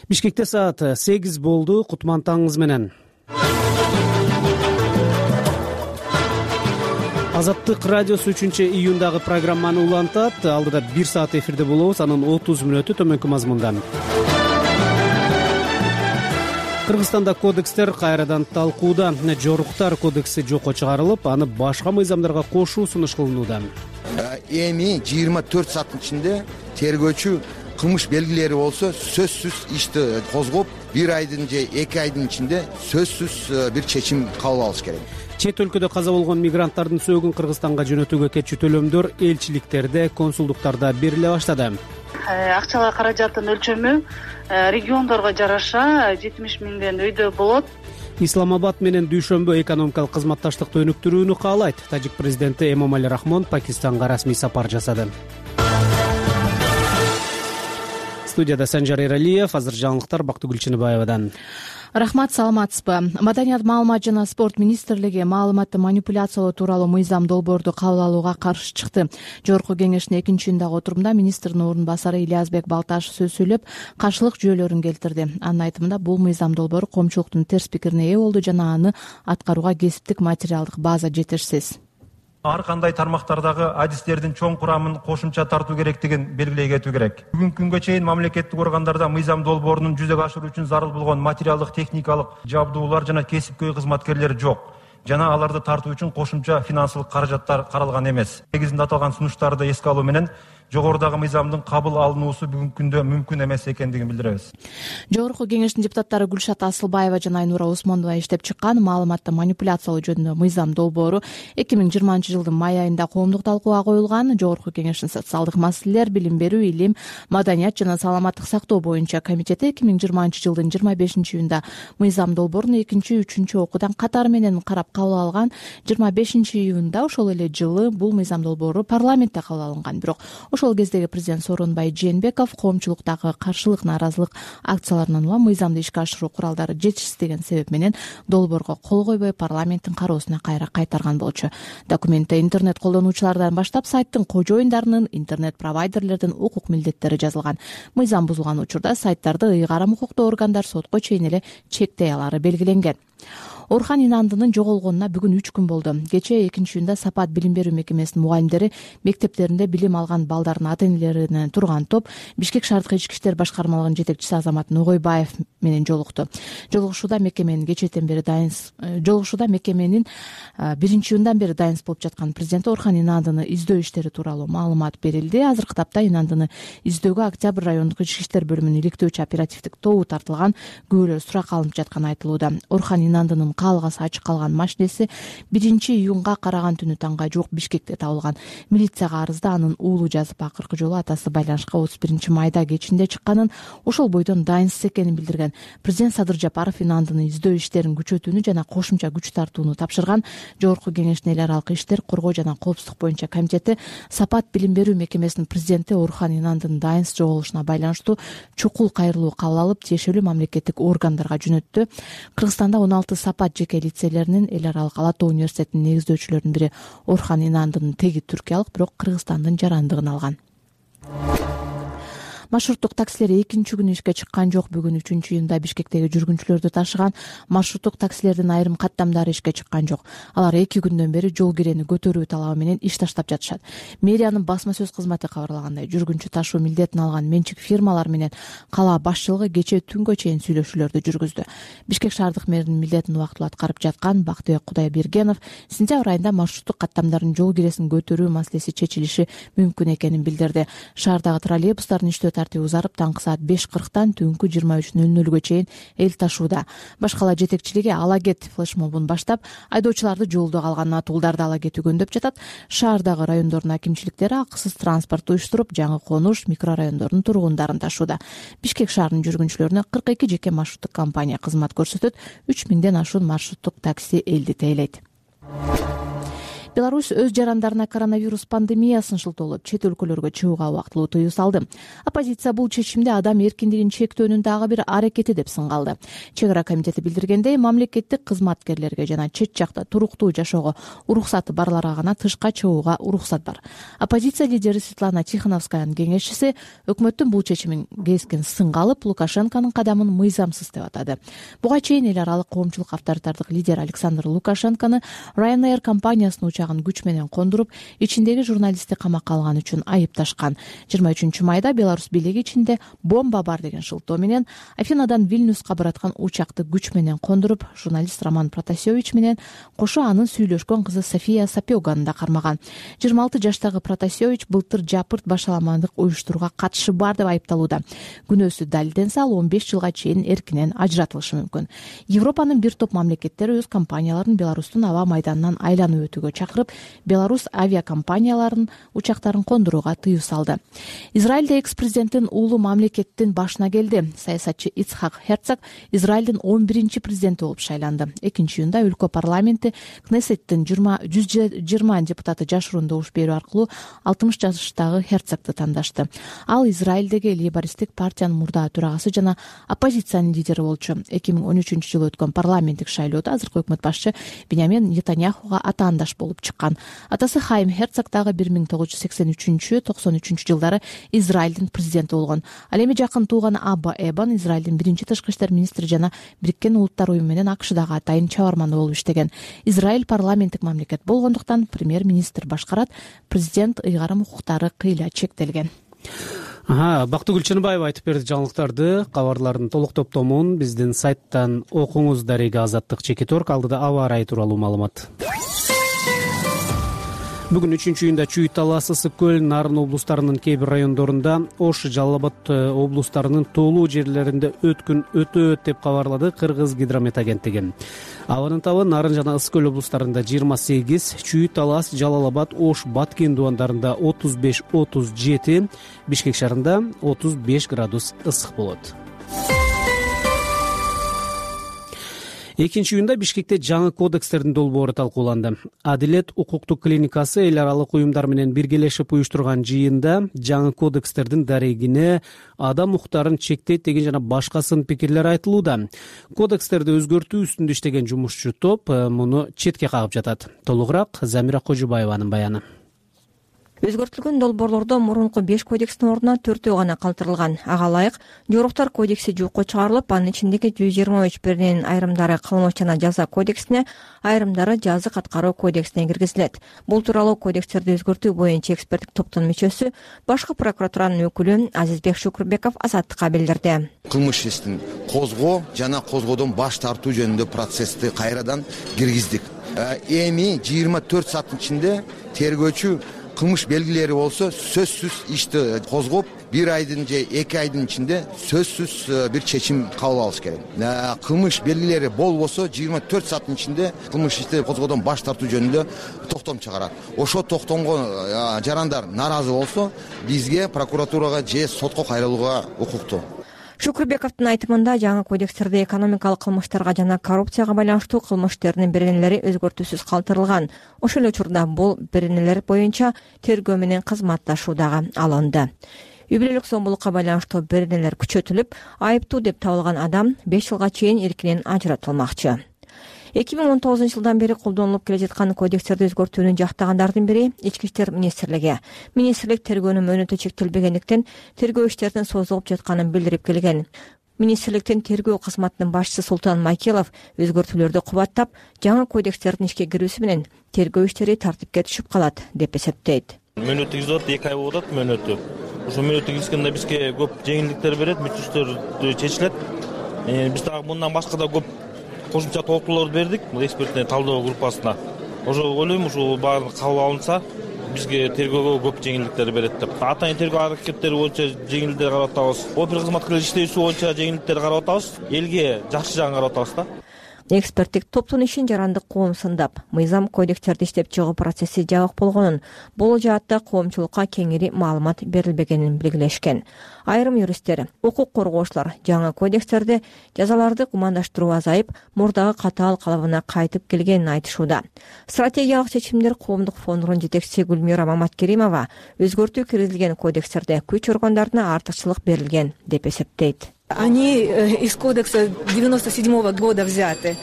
Бишкекте саат 8 болду. Кутман таңыңыз менен. Азаттык радиосу 3-июндагы программаны улантат. Алдыда 1 саат эфирде болобуз. Анын 30 мүнөтү төмөнкү мазмундан. Кыргызстанда кодекстер кайрадан талкууда. Жоруктар кодекси жокко чыгарылып, аны башка мыйзамдарга кошуу сунуш кылынууда. Эми 24 сааттын ичинде тергөөчү кылмыш белгилери болсо сөзсүз ишти козгоп, 1 айдын же 2 айдын ичинде сөзсүз бир чечим кабыл алыш керек. Чет өлкөдө каза болгон мигранттардын сөөгүн Кыргызстанга жөнөтүүгө кетчү төлөмдөр элчиликтерде, консулдуктарда бериле баштады. Акчалай каражаттын өлчөмү региондорго жараша 70 миңден өйдө болот. Исламабад менен Дүйшөмбө экономикалык кызматташтыкты өнүктүрүүнү каалайт. Тажик президенти Эмомали Рахмон Пакистанга расмий сапар жасады. Студияда Санжар Эралиев, азыр жаңылыктар Бактыгүл Чыныбаевадан. Рахмат, саламатсызбы? Маданият, маалымат жана спорт министрлиги маалыматты манипуляциялоо тууралуу мыйзам долбоорду кабыл алууга каршы чыкты. Жогорку кеңештин 2-июндагы отурумда министрдин орун басары Ильязбек Балташев сөз сүйлөп, каршылык жүйөлөрүн келтирди. Анын айтымында бул мыйзам долбоору коомчулуктун терс пикирине ээ болду жана аны аткарууга кесиптик материалдык база жетишсиз. Ар кандай тармактардагы адистердин чоң курамын кошумча тартуу керектигин белгилей кетүү керек. Бүгүнкү күнгө чейин мамлекеттик органдарда мыйзам долбоорунун жүзөгө ашыруу үчүн зарыл болгон материалдык, техникалык жабдуулар жана кесипкөй кызматкерлер жок. Жана аларды тартуу үчүн кошумча финансылык каражаттар каралган эмес. Негизинде аталган сунуштарды эске алуу менен жогорудагы мыйзамдын кабыл алынуусу бүгүнкү күндө мүмкүн эмес экендигин билдиребиз. Жогорку кеңештин депутаттары Гүлшат Асылбаева жана Айнура Усмонова иштеп чыккан маалыматты манипуляциялоо жөнүндө мыйзам долбоору 2020 жылдын май айында коомдук талкууга коюлган. Жогорку кеңештин социалдык маселелер, билим берүү, илим, маданият жана саламаттык сактоо боюнча комитети 2020 жылдын 25-июнда мыйзам долбоорун 2-3 окуудан катары менен карап кабыл алган. 25-июнда ошол эле жылы бул мыйзам долбоору парламентте кабыл алынган. Бирок ошол кездеги президент Сооронбай Жээнбеков коомчулуктагы каршылык, наразылык акцияларынан улам мыйзамды ишке ашыруу куралдары жетишсиз деген себеп менен долбоорго кол койбой парламенттин кароосуна кайра кайтарган болчу. Документте интернет колдонуучулардан баштап сайттын кожоюндарынын, интернет провайдерлердин укук милдеттери жазылган. Мыйзам бузулган учурда сайттарды ыйгарым укуктуу органдар сотко чейин эле чектей алары белгиленген. Орхан Инандынын жоголгонуна бүгүн 3 күн болду. Кечээ 2-июнда Сапат билим берүү мекемесинин мугалимдери мектептеринде билим алган балдардын ата-энелеринен турган топ Бишкек шаардык ички иштер башкармалыгынын жетекчиси Азамат Ногойбаев менен жолукту. Жолугушууда мекеменин 1-июндан бери дайынс болуп жаткан президенти Орхан Инандыны издөө иштери тууралуу маалымат берилди. Азыркы тапта Инандыны издөөгө Октябрь райондук ички иштер бөлүмүнүн иликтөөчү оперативдик тобу тартылган, күбөлөр сурак алынып жатканы айтылууда. Орхан Инандынын каалгасы ачык калган машинеси 1-июнга караган түнү таңга жуук Бишкекте табылган. Милицияга арызда анын уулу жазып, акыркы жолу атасы байланышка 31-майда кечинде чыкканын, ошол бойдон дайынсыз экенин билдирген. Президент Садыр Жапаров Инандыны издөө иштерин күчөтүүнү жана кошумча күч тартууну тапшырган. Жогорку кеңештин эл аралык иштер, коргоо жана коопсуздук боюнча комитети Сапат билим берүү мекемесинин президенти Орхан Инандынын дайынсыз жоголушуна байланыштуу чукул кайрылуу кабыл алып, тиешелүү мамлекеттик органдарга жөнөттү. Кыргызстанда 16 Сапат жеке лицейлеринин эл аралык Ала Тоо университетинин негиздөөчүлөрүнүн бири Орхан Инандынын теги түркиялык, бирок Кыргызстандын жарандыгын алган. Маршруттук таксилер 2-күн ишке чыккан жок. Бүгүн 3-июнда Бишкектеги жүргүнчүлөрдү ташыган маршруттук таксилердин айрым каттамдары ишке чыккан жок. Алар 2 күндөн бери жол кирени көтөрүү талабы менен иш таштап жатышат. Мэриянын басма сөз кызматы кабарлагандай, жүргүнчү ташуу милдетин алган менчик фирмалар менен кала башчылыгы кечээ түнгө чейин сүйлөшүүлөрдү жүргүздү. Бишкек шаардык мэринин милдетин убактылуу аткарып жаткан Бактыбек Кудайбергенов сентябрь айында маршруттук каттамдардын жол киресин көтөрүү маселеси чечилиши мүмкүн экенин билдирди. Шаардагы троллейбустардын иштөө тартиби узарып, таңкы саат 5:40 түнкү 23:00 чейин эл ташууда. Башкала жетекчилиги ала кет флешмобун баштап, айдоочуларды жолдо калган атуулдарды ала кетүүгөндөп жатат. Шаардагы райондордун акимчиликтери акысыз транспорт уюштуруп, жаңы конуш микрорайондордун тургундарын ташууда. Бишкек шаарынын жүргүнчүлөрүнө 42 жеке маршруттук компания кызмат көрсөтөт. 3000ден ашуун маршруттук такси элди тейлейт. Беларусь өз жарандарына коронавирус пандемиясын шылтоолоп чет өлкөлөргө чыгууга убактылуу тыюу салды. Оппозиция бул чечимди адам эркиндигин чектөөнүн дагы бир аракети деп сынгалды. Чек ара комитети билдиргендей, мамлекеттик кызматкерлерге жана чет жакта туруктуу жашоого уруксаты барларга гана тышка чыгууга уруксат бар. Оппозиция лидери Светлана Тихоновскаянын кеңешчиси өкмөттүн бул чечимин кескин сынга алып, Лукашенконун кадамын мыйзамсыз деп атады. Буга чейин эл аралык коомчулук авторитардык лидер Александр Лукашенкону Ryanair компаниясынын учагын күч менен кондуруп, ичиндеги журналистти камакка алган үчүн айыпташкан. 23 майда Беларусь бийлиги ичинде бомба бар деген шылтоо менен Афинадан Вильнюска бараткан учакты күч менен кондуруп, журналист Роман Протасевич менен кошо анын сүйлөшкөн кызы София Сапёганы да кармаган. 26 жаштагы Протасевич былтыр жапырт башаламандык уюштурууга катышы бар деп айыпталууда. Күнөөсү далилденсе, ал 15 жылга чейин эркинен ажыратылышы мүмкүн. Европанын бир топ мамлекеттери өз компанияларын Беларустун аба майданынан айланып өтүүгө чакырып, Беларусь авиакомпанияларынын учактарын кондурууга тыюу салды. Израилде экс-президенттин уулу мамлекеттин башына келди. Саясатчы Ицхак Херцог Израилдин 11-чи президенти болуп шайланды. 2-июнда өлкө парламенти Кнессеттин 120 депутаты жашыруун добуш берүү аркылуу 60 жаштагы Херцогду тандашты. Ал Израилдеги лейбористтик партиянын мурдагы төрагасы жана оппозициянын лидери болчу. 2013-жылы өткөн парламенттик шайлоодо азыркы өкмөт башчы Биньямин Нетаньяхуга атаандаш болуп чыккан. Атасы Хайм Херцог дагы 1983-93 жылдары Израилдин президенти болгон. Ал эми жакын тууганы Абба Эбан Израилдин биринчи тышкы иштер министри жана Бириккен Улуттар уюму менен АКШдагы атайын чабарманы болуп иштеген. Израиль парламенттик мамлекет болгондуктан премьер-министр башкарат, президент ыйгарым укуктары кыйла чектелген. Бактыгүл Чыныбаева айтып берди жаңылыктарды. Кабарлардын толук топтомун биздин сайттан окуңуз. Дарега Азаттык Чекиторг. Алдыда аба ырайы тууралуу маалымат. Бүгүн 3-июнда Чүй талас, Ысык көл, Нарын облустарынын кээ бир райондорунда, Ош, Жалал Абад облустарынын тоолуу жерлеринде өткүн өтөт деп кабарлады Кыргыз гидромет агенттиги. Абанын табы Нарын жана Ысык көл облустарында 28, Чүй талас, Жалал Абад, Ош, Баткен дубандарында 35-37, Бишкек шаарында 35 градус ысык болот. 2-июнда Бишкекте жаңы кодекстердин долбоору талкууланды. Адилет укуктук клиникасы эл аралык уюмдар менен биргелешип уюштурган жыйында жаңы кодекстердин дарегине адам укуктарын чектейт деген жана башка сын пикирлер айтылууда. Кодекстерди өзгөртүү үстүндө иштеген жумушчу топ муну четке кагып жатат. Толугураак Замира Кожубаеванын баяны. Өзгөртүлгөн долбоорлордо мурунку 5 кодекстин ордуна 4 гана калтырылган. Ага ылайык жоруктар кодекси жокко чыгарылып, анын ичиндеги 123 биринин айрымдары кылмыш жана жаза кодексине, айрымдары жазык аткаруу кодексине киргизилет. Бул тууралуу кодекстерди өзгөртүү боюнча эксперттик топтун мүчөсү, башкы прокуратуранын өкүлү Азизбек Шукурбеков Азаттыкка билдирди. Кылмыш ишин козгоо жана козгоодон баш тартуу жөнүндө процессти кайрадан киргиздик. Эми 24 сааттын ичинде тергөөчү кылмыш белгилери болсо сөзсүз ишти козгоп, 1 айдын же 2 айдын ичинде сөзсүз бир чечим кабыл алыш керек. Кылмыш белгилери болбосо 24 сааттын ичинде кылмыш ишти козгоодон баш тартуу жөнүндө токтом чыгарат. Ошо токтомго жарандар нааразы болсо, бизге прокуратурага же сотко кайрылууга укуктуу. Шукурбековдун айтымында жаңы кодекстерде экономикалык кылмыштарга жана коррупцияга байланыштуу кылмыштердин беренелери өзгөртүүсүз калтырылган. Ошол эле учурда бул беренелер боюнча тергөө менен кызматташуу дагы алынды. Үй бүлөлүк зомбулукка байланыштуу беренелер күчөтүлүп, айыптуу деп табылган адам 5 жылга чейин эркинен ажыратылмакчы. 2019 жылдан бери колдонулуп келе жаткан кодекстерди өзгөртүүнү жактагандардын бири Ички иштер министрлиги. Министрлик тергөөнүн мөөнөтү чектелбегендиктен тергөө иштеринин созулуп жатканын билдирип келген. Министрликтин тергөө кызматынын башчысы Султан Майкелов өзгөртүүлөрдү кубаттап, жаңы кодекстердин ишке кирүүсү менен тергөө иштери тартипке түшүп калат деп эсептейт. Мөөнөт киргизип 2 ай болуп атат мөөнөтү. Ошо мөөнөт киргизгенде бизге көп жеңилдиктер берет, мүчөстөр чечилет. Биз дагы мындан башка да көп кошумча толуктууларды бердик эксперттин талдоо группасына. Ошо ойлойм, ушул баары кабыл алынса, бизге тергөөгө көп жеңилдиктер берет деп. Атайын тергөө аракеттери боюнча жеңилдиктер карап атабыз. Опер кызматкерлер иштөөсү боюнча жеңилдиктер карап атабыз. Элге жакшы жагын карап атабыз да. Эксперттик топтун ишин жарандык коом сындап, мыйзам кодекстерди иштеп чыгуу процесси жабык болгонун, бул жаатта коомчулукка кеңири маалымат берилбегенин белгилешкен. Айрым юристтер, укук коргоочулар жаңы кодекстерде жазаларды гумандаштыруу азайып, мурдагы катаал калыбына кайтып келгенин айтышууда. Стратегиялык чечимдер коомдук фондунун жетекчиси Гүлмира Маматкеримова өзгөртүү киргизилген кодекстерде күч органдарына артыкчылык берилген деп эсептейт. Они из кодекса 97-го года взяты.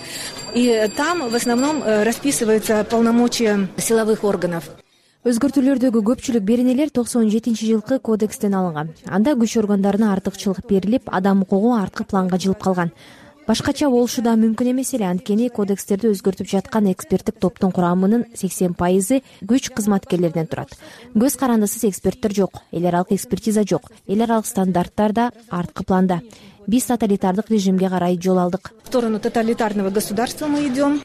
И там в основном расписываются полномочия силовых органов. Өзгөртүүлөрдөгү көпчүлүк беренелер 97-жылкы кодекстен алынган. Анда күч органдарына артыкчылык берилип, адам укугу арткы планга жылып калган. Башкача болушу да мүмкүн эмес эле, анткени кодекстерди өзгөртүп жаткан эксперттик топтун курамынын 80% күч кызматкерлеринен турат. Көз карандысыз эксперттер жок, эл аралык экспертиза жок, эл аралык стандарттар да арткы планда. Биз тоталитардык режимге карай жол алдык. В сторону тоталитарного государства мы идем.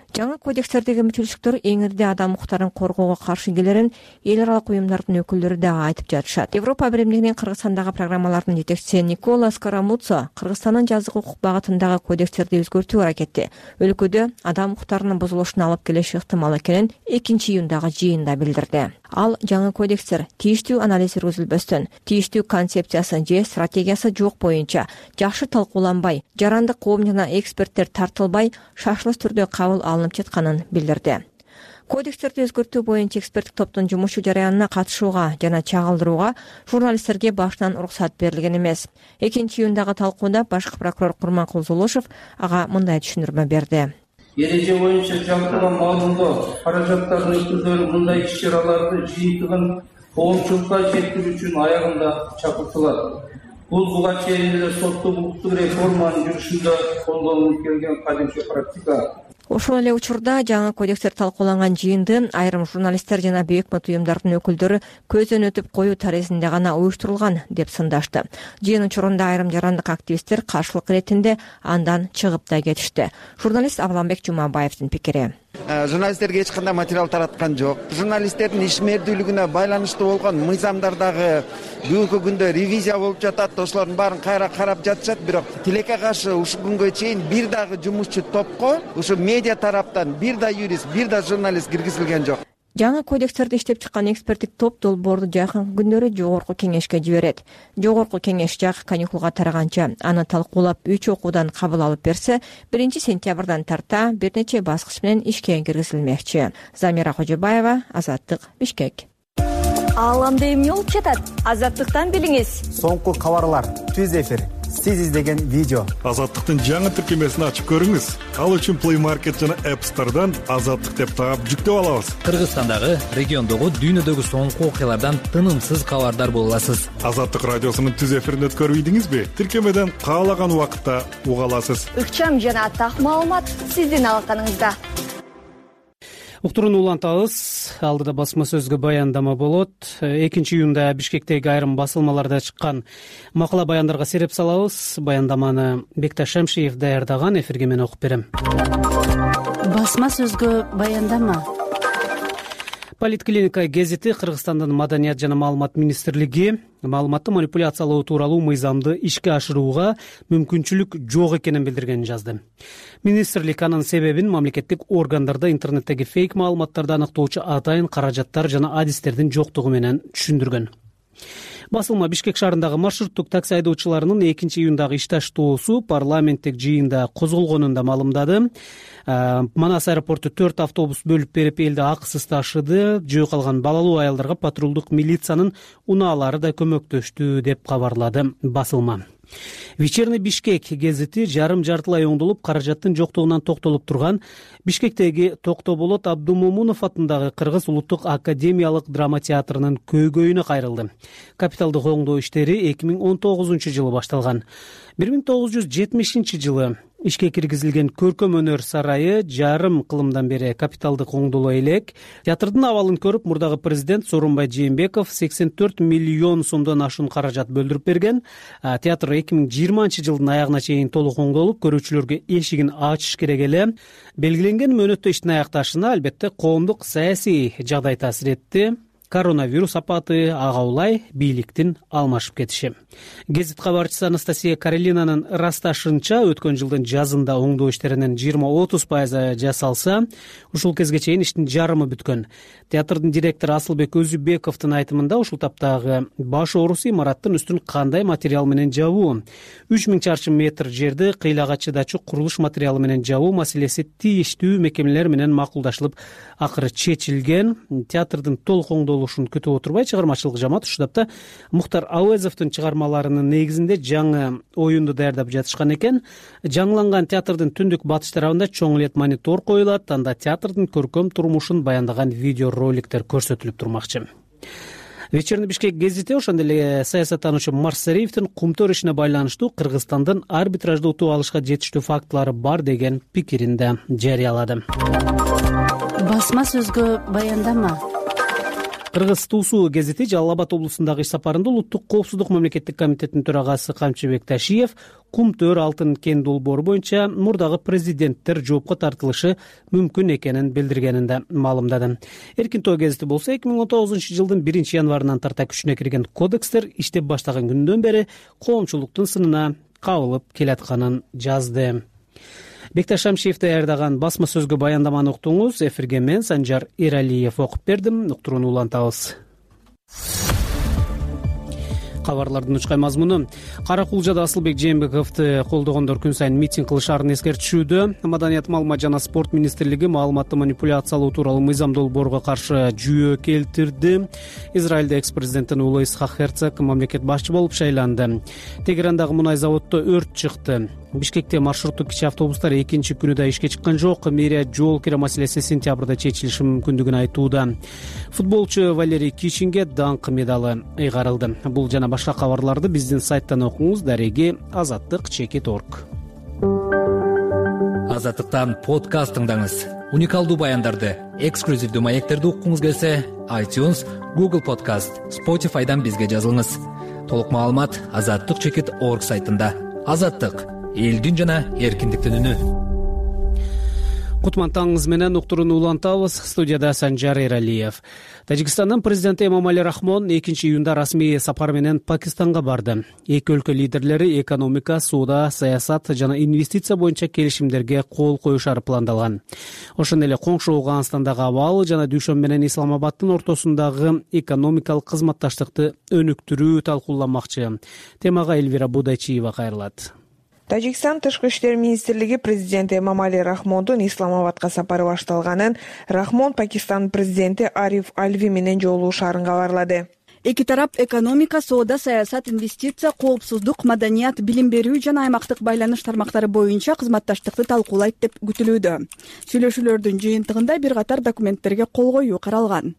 Жаңы кодекстердеги мүчөлчүлүктөр эң ирде адам укуктарын коргоого каршы келерин эл аралык уюмдардын өкүлдөрү да айтып жатышат. Европа биримдигинин Кыргызстандагы программаларынын жетекчиси Никола Скарамуцо Кыргызстандын жазык укук багытындагы кодекстерди өзгөртүү аракети өлкөдө адам укуктарынын бузулушуна алып келиши ыктымал экенин 2-июндагы жыйында билдирди. Ал жаңы кодекстер тийиштүү анализ жүргүзүлбөстөн, тийиштүү концепциясы же стратегиясы жок боюнча жакшы талкууланбай, жарандык коом жана эксперттер тартылбай, шашылыш түрдө кабыл алынып жатканын билдирди. Кодекстерди өзгөртүү боюнча эксперттик топтун жумушу жараянына катышууга жана чагылдырууга журналисттерге башынан уруксат берилген эмес. 2-июндагы талкууда башкы прокурор Курманкул Зулушев ага мындай түшүндүрмө берди. Эреже боюнча жалпылама маалымдоо каражаттардын өкүлдөрү мындай иш-чараларды жыйынтыгын коомчулукка жеткирүү үчүн аягында чакыртылат. Бул буга чейин эле соттук укуктук реформанын жүрүшүндө колдонулуп келген кадимки практика. Ошол эле учурда жаңы кодекстер талкууланган жыйынды айрым журналисттер жана бейөкмөт уюмдардын өкүлдөрү көздөн өтүп коюу тарезинде гана уюштурулган деп сындашты. Жыйын учурунда айрым жарандык активисттер каршылык иретинде андан чыгып да кетишти. Журналист Абламбек Жумабаевдин пикири. Журналисттерге эч кандай материал тараткан жок. Журналисттердин ишмердүүлүгүнө байланыштуу болгон мыйзамдардагы бүгүнкү күндө ревизия болуп жатат. Ошолордун баарын кайра карап жатышат, бирок тилекке каршы ушул күнгө чейин бир дагы жумушчу топко ушу медиа тараптан бир да юрист, бир да журналист киргизилген жок. Жаңы кодекстерди иштеп чыккан эксперттик топ долбоорду жакынкы күндөрү жогорку кеңешке жиберет. Жогорку кеңеш жак каникулга тараганча аны талкуулап 3 окуудан кабыл алып берсе, 1-сентябрдан тарта бир нече баскыч менен ишке киргизилмекчи. Замира Кожобаева, Азаттык, Бишкек. Ааламда эмне болуп жатат? Азаттыктан билиңиз. Соңку кабарлар, түз эфир, сиз издеген видео. Азаттыктын жаңы тиркемесин ачып көрүңүз. Ал үчүн Play Market жана App Store'дан Азаттык деп таап жүктөп алабыз. Кыргызстандагы, региондогу, дүйнөдөгү соңку окуялардан тынымсыз кабардар боло аласыз. Азаттык радиосунун түз эфирин өткөрүп ийдиңизби? Тиркемеден каалаган убакытта уга аласыз. Ыкчам жана так маалымат сиздин алаканыңызда. Уктурууну улантабыз. Алдыда басма сөзгө баяндама болот. 2-июнда Бишкектеги айрым басылмаларда чыккан макала баяндарга сереп салабыз. Баяндаманы Бекташ Шамшиев даярдаган, эфирге мен окуп берем. Басма сөзгө баяндама. Политклиника гезити Кыргызстандын Маданият жана маалымат министрлиги маалыматты манипуляциялоо тууралуу мыйзамды ишке ашырууга мүмкүнчүлүк жок экенин билдиргенин жазды. Министрлик анын себебин мамлекеттик органдарда интернеттеги фейк маалыматтарды аныктоочу атайын каражаттар жана адистердин жоктугу менен түшүндүргөн. Басылма Бишкек шаарындагы маршруттук такси айдоочуларынын 2-июндагы иш таштоосу парламенттик жыйында козголгонун да маалымдады. Манас аэропорту 4 автобус бөлүп берип элди акысыз ташыды. Жөө калган балалуу аялдарга патрулдук милициянын унаалары да көмөктөштү деп кабарлады басылма. Вечерний Бишкек гезити жарым-жартылай оңдолуп, каражаттын жоктугунан токтолуп турган Бишкектеги Токтоболот Абдумомунов атындагы Кыргыз улуттук академиялык драма театрынын көйгөйүнө кайрылды. Капиталдык оңдоо иштери 2019-жылы башталган. 1970-жылы ишке киргизилген көркөм өнөр сарайы жарым кылымдан бери капиталдык оңдоло элек. Театрдын абалын көрүп, мурдагы президент Сооронбай Жээнбеков 84 миллион сомдон ашуун каражат бөлдүрүп берген. Театр 2020-жылдын аягына чейин толук оңдолуп, көрүүчүлөргө эшигин ачыш керек эле. Белгиленген мөөнөттө иштин аякташына албетте коомдук саясий жагдай таасир этти. коронавирус апаты, ага улай бийликтин алмашып кетиши. Гезит кабарчысы Анастасия Каролинанын ырасташынча өткөн жылдын жазында оңдоо иштеринин 20-30% жасалса, ушул кезге чейин иштин жарымы бүткөн. Театрдын директору Асылбек Өзүбековдун айтымында ушул таптагы баш оорусу имараттын үстүн кандай материал менен жабуу, 3000 чарчы метр жерди кыйлага чыдачу курулуш материалы менен жабуу маселеси тийиштүү мекемелер менен макулдашылып, акыры чечилген. Театрдын толук оңдолушун күтүп отурбай, чыгармачылык жамаат ушул тапта Мухтар Ауезовдун чыгармаларынын негизинде жаңы оюнду даярдап жатышкан экен. Жаңыланган театрдын түндүк батыш тарабында чоң лет монитор коюлат, анда театрдын көркөм турмушун баяндаган видео роликтер көрсөтүлүп турмакчы. Вечерний Бишкек гезити ошондой эле саясаттануучу Марсариевдин Кумтөр ишине байланыштуу Кыргызстандын арбитражда утуп алышка жетиштүү фактылары бар деген пикирин да жарыялады. Басма сөзгө баяндама. Кыргыз Туусу гезити Жалал Абад облусундагы иш сапарында Улуттук коопсуздук мамлекеттик комитетинин төрагасы Камчыбек Ташиев Кумтөр алтын кен долбоору боюнча мурдагы президенттер жоопко тартылышы мүмкүн экенин билдиргенин да маалымдады. Эркин-Тоо гезити болсо 2019-жылдын 1-январынан тарта күчүнө кирген кодекстер иштеп баштаган күндөн бери коомчулуктун сынына кабылып келатканын жазды. Бекташ Шамшиев даярдаган басма сөзгө баяндаманы уктуңуз. Эфирге мен Санжар Эралиев окуп бердим. Уктурууну улантабыз. Кабарлардын учкай мазмуну: Кара Кулжада Асылбек Жээнбековду колдогондор күн сайын митинг кылышаарын эскертишүүдө. Маданият, маалымат жана спорт министрлиги маалыматты манипуляциялоо тууралуу мыйзам долбоорго каршы жүйө келтирди. Израилде экс-президенттин уулу Исхак Херцог мамлекет башчы болуп шайланды. Тегерандагы мунай заводдо өрт чыкты. Бишкекте маршруттук кичи автобустар экинчи күнү да ишке чыккан жок. Мэрия жол кире маселеси сентябрда чечилиши мүмкүндүгүн айтууда. Футболчу Валерий Кичинге даңк медалы ыйгарылды. Бул жана башка кабарларды биздин сайттан окуңуз. Дареги azattik.org. Азаттыктан подкаст тыңдаңыз. Уникалдуу баяндарды, эксклюзивдүү маектерди уккуңуз келсе, iTunes, Google Podcast, Spotify'дан бизге жазылыңыз. Толук маалымат azattik.org сайтында. Азаттык — элдин жана эркиндиктин үнү. Кутман таңыңыз менен уктурууну улантабыз. Студияда Санжар Эралиев. Тажикстандын президенти Эмомали Рахмон 2-июнда расмий сапар менен Пакистанга барды. Эки өлкө лидерлери экономика, соода, саясат жана инвестиция боюнча келишимдерге кол коюшары пландалган. Ошондой эле коңшу Афганистандагы абал жана Дүйшөмбү менен Исламабаддын ортосундагы экономикалык кызматташтыкты өнүктүрүү талкууланмакчы. Темага Эльвира Будайчиева кайрылат. Тажикстан тышкы иштер министрлиги президенти Эмомали Рахмондун Исламабадка сапары башталганын, Рахмон Пакистандын президенти Ариф Альви менен жолугушаарын кабарлады. Эки тарап экономика, соода, саясат, инвестиция, коопсуздук, маданият, билим берүү жана аймактык байланыш тармактары боюнча кызматташтыкты талкуулайт деп күтүлүүдө. Сүйлөшүүлөрдүн жыйынтыгында бир катар документтерге кол коюу каралган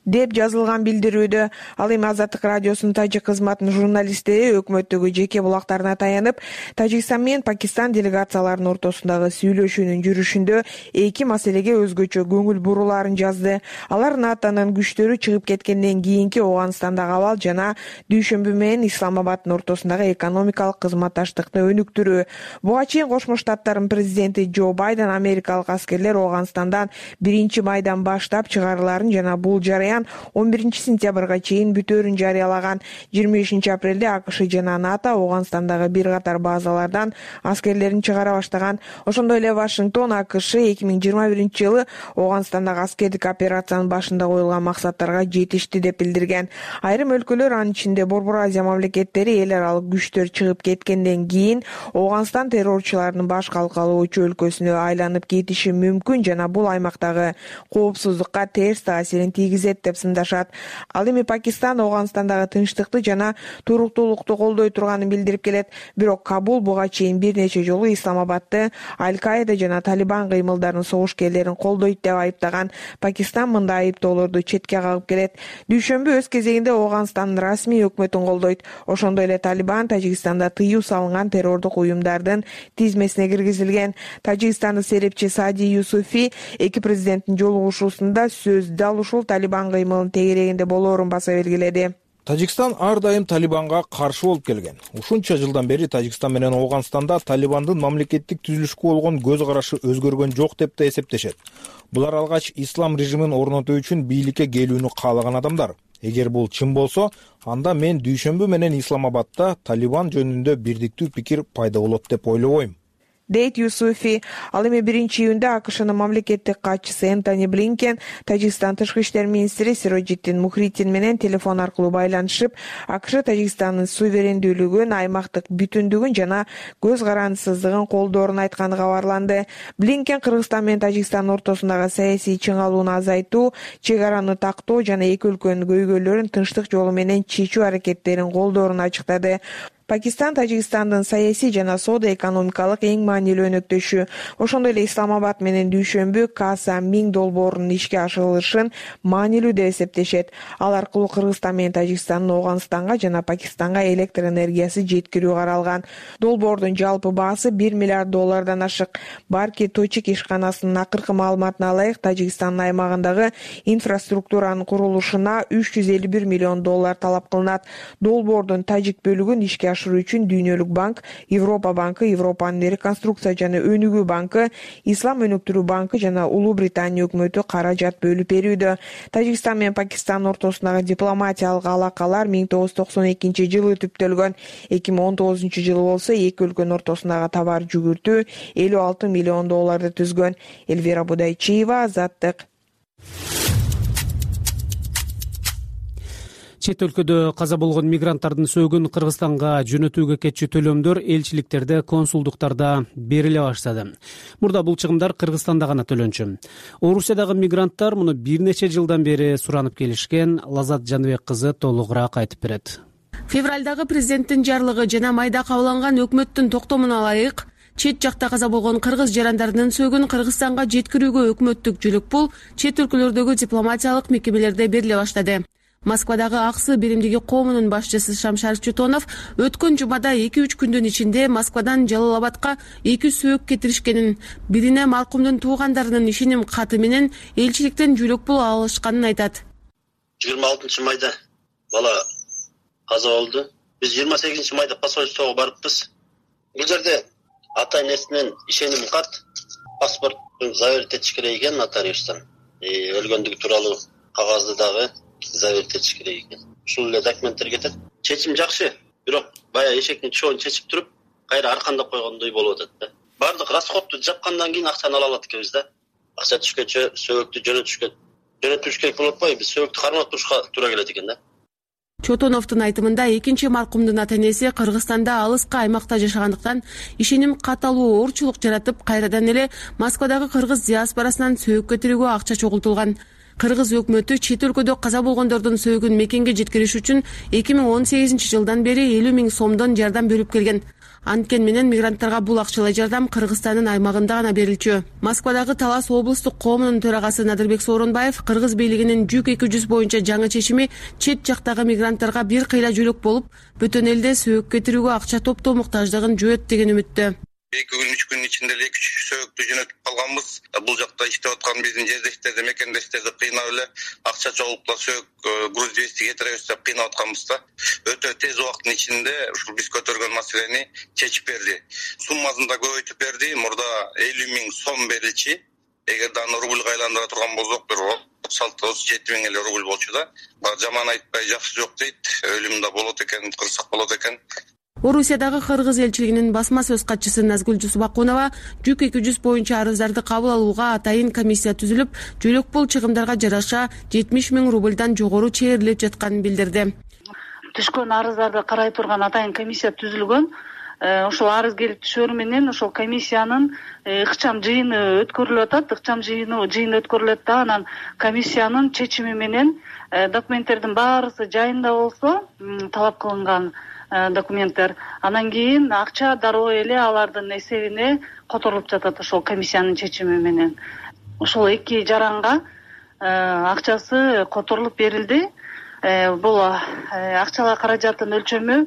деп жазылган билдирүүдө. Ал эми Азаттык радиосунун тажик кызматынын журналисттери өкмөттөгү жеке булактарына таянып, Тажикстан менен Пакистан делегацияларынын ортосундагы сүйлөшүүнүн жүрүшүндө эки маселеге өзгөчө көңүл буруларын жазды. Алар НАТОнун күчтөрү чыгып кеткенден кийинки Афганистандагы абал жана Дүйшөмбү менен Исламабаддын ортосундагы экономикалык кызматташтыкты өнүктүрүү. Буга чейин Кошмо Штаттардын президенти Джо Байден америкалык аскерлер Афганистандан 1-майдан баштап чыгарыларын жана бул жарыян 11-сентябрга чейин бүтөөрүн жарыялаган. 25-апрелде АКШ жана НАТО Афганистандагы бир катар базалардан аскерлерин чыгара баштаган. Ошондой эле Вашингтон АКШ 2021-жылы Афганистандагы аскердик операциянын башында коюлган максаттарга жетишти деп билдирген. Айрым өлкөлөр, анын ичинде Борбор Азия мамлекеттери эл аралык күчтөр чыгып кеткенден кийин Афганистан террорчулардын баш калкалоочу өлкөсүнө айланып кетиши мүмкүн жана бул аймактагы коопсуздукка терс таасирин тийгизет деп сындашат. Ал эми Пакистан Афганистандагы тынчтыкты жана туруктуулукту колдой турганын билдирип келет. Бирок Кабул буга чейин бир нече жолу Исламабадты Аль-Каида жана Талибан кыймылдарын согушкерлерин колдойт деп айыптаган. Пакистан мындай айыптоолорду четке кагып келет. Дүйшөмбү өз кезегинде Афганистандын расмий өкмөтүн колдойт. Ошондой эле Талибан Тажикстанда тыюу салынган террордук уюмдардын тизмесине киргизилген. Тажикстандын серепчи Саади Юсуфи эки президенттин жолугушуусунда сөз дал ушул Талибан кыймылын тегерегинде болоорун баса белгиледи. Тажикстан ар дайым Талибанга каршы болуп келген. Ушунча жылдан бери Тажикстан менен Ооганстанда Талибандын мамлекеттик түзүлүшкө болгон көз карашы өзгөргөн жок деп да эсептешет. Булар алгач ислам режимин орнотуу үчүн бийликке келүүнү каалаган адамдар. Эгер бул чын болсо, анда мен дүйшөмбү менен Исламабадда Талибан жөнүндө бирдиктүү пикир пайда болот деп ойлобойм, дейт Юсуфи. Ал эми 1-июнда АКШнын мамлекеттик катчысы Энтони Блинкен Тажикстан тышкы иштер министри Сироджиддин Мухриддин менен телефон аркылуу байланышып, АКШ Тажикстандын суверендүүлүгүн, аймактык бүтүндүгүн жана көз карандысыздыгын колдоорун айтканы кабарланды. Блинкен Кыргызстан менен Тажикстан ортосундагы саясий чыңалууну азайтуу, чек араны тактоо жана эки өлкөнүн көйгөйлөрүн тынчтык жолу менен чечүү аракеттерин колдоорун ачыктады. Пакистан Тажикстандын саясий жана соода экономикалык эң маанилүү өнөктөшү. Ошондой эле Исламабад менен дүйшөмбү Каса Миң долбоорунун ишке ашырылышын маанилүү деп эсептешет. Ал аркылуу Кыргызстан менен Тажикстандын Ооганстанга жана Пакистанга электр энергиясы жеткирүү каралган. Долбоордун жалпы баасы $1 миллиард ашык. Барки Точик ишканасынын акыркы маалыматына ылайык, Тажикстандын аймагындагы инфраструктуранын курулушуна $351 миллион талап кылынат. Долбоордун тажик бөлүгүн ишке үчүн Дүйнөлүк банк, Европа банкы, Европанын реконструкция жана өнүгүү банкы, Ислам өнүктүрүү банкы жана Улуу Британия өкмөтү каражат бөлүп берүүдө. Тажикстан менен Пакистан ортосундагы дипломатиялык алакалар 1992 жылы түптөлгөн. 2019 жылы болсо эки өлкөнүн ортосундагы товар жүгүртүү $56 миллион түзгөн. Элвира Будайчиева, Азаттык. Чет өлкөдө каза болгон мигранттардын сөөгүн Кыргызстанга жөнөтүүгө кетчү төлөмдөр элчиликтерде, консулдуктарда бериле баштады. Мурда бул чыгымдар Кыргызстанда гана төлөнчү. Орусиядагы мигранттар муну бир нече жылдан бери суранып келишкен. Лазат Жаныбек кызы толугураак айтып берет. Февралдагы президенттин жарлыгы жана майда кабыл алынган өкмөттүн токтомуна ылайык чет жакта каза болгон кыргыз жарандарынын сөөгүн Кыргызстанга жеткирүүгө өкмөттүк жүлүк пул чет өлкөлөрдөгү дипломатиялык мекемелерде бериле баштады. Москвадагы Аксы биримдиги коомунун башчысы Шамшар Чутонов өткөн жумада 2-3 күндүн ичинде Москвадан Жалалабадка 2 сөөк кетиришкенин, бирине маркумдун туугандарынын ишеним каты менен элчиликтен жүлөк пул алышканын айтат. 26 майда бала каза болду. Биз 28 майда посольствого барыппыз. Бул жерде ата энесинен ишеним кат, паспорттун заверить этиш керек экен нотариустан. Өлгөндүгү тууралуу кагазды дагы заверить этиш керек экен. Ушул эле документтер кетет. Чечим жакшы, бирок бая эшектин чоон чечип туруп, кайра аркандап койгондой болуп атат да. Бардык расходту жапкандан кийин акчаны ала алат экенбиз да. Акча түшкөчө сөөктү жөнөтүш керек болуп атпайбы? Биз сөөктү кармап турушка туура келет экен да. Чотоновдун айтымында экинчи маркумдун ата энеси Кыргызстанда алыска аймакта жашагандыктан ишеним кат алуу оорчулук жаратып, кайрадан эле Москвадагы кыргыз диаспорасынан сөөк кетирүүгө акча чогултулган. Кыргыз өкмөтү чет өлкөдө каза болгондордун сөөгүн мекенге жеткириш үчүн 2018 жылдан бери 50 000 сомдон жардам берип келген. Анткени менен мигранттарга бул акчалай жардам Кыргызстандын аймагында гана берилчү. Москвадагы Талас облустук коомунун төрагасы Надырбек Сооронбаев Кыргыз бийлигинин жүк 200 боюнча жаңы чечими чет жактагы мигранттарга бир кыйла жүлөк болуп, бүтөн элде сөөк кетирүүгө акча топтоо муктаждыгын жөөт деген үмүттө. 2 күн 3 күн ичинде эле 2 сөөктү жөнөтүп калганбыз. Бул жакта иштеп аткан биздин жердештерди, мекендештерди кыйнап эле акча чогултуп сөөк груз 200 кетиребиз деп кыйнап атканбыз да. Өтө тез убакыттын ичинде ушул биз көтөргөн маселени чечип берди. Суммасын да көбөйтүп берди. Мурда 50 000 сом берилчи. Эгер аны рубльга айландыра турган болсок, бир 36-37 000 эле рубль болчу да. Жаман айтпай жакшы жок дейт. Өлүм да болот экен, кырсак болот экен. Орусиядагы кыргыз элчилигинин басма сөз катчысы Назгүл Жусупакунова жүк 200 боюнча арыздарды кабыл алууга атайын комиссия түзүлүп, жүлөк пул чыгымдарга жараша 70 000 рубльдан жогору чегерилип жатканын билдирди. Түшкөн арыздарды карай турган атайын комиссия түзүлгөн. Ошол арыз келип түшөр менен ошол комиссиянын ыкчам жыйыны өткөрүлүп атат. Ыкчам жыйыны өткөрүлөт да, анан комиссиянын чечими менен документтердин баарысы жайында болсо, талап кылынган документтер, анан кийин акча дароо эле алардын эсебине которулуп жатат ошол комиссиянын чечими менен. Ошол эки жаранга акчасы которулуп берилди. Бул акчалай каражаттын өлчөмү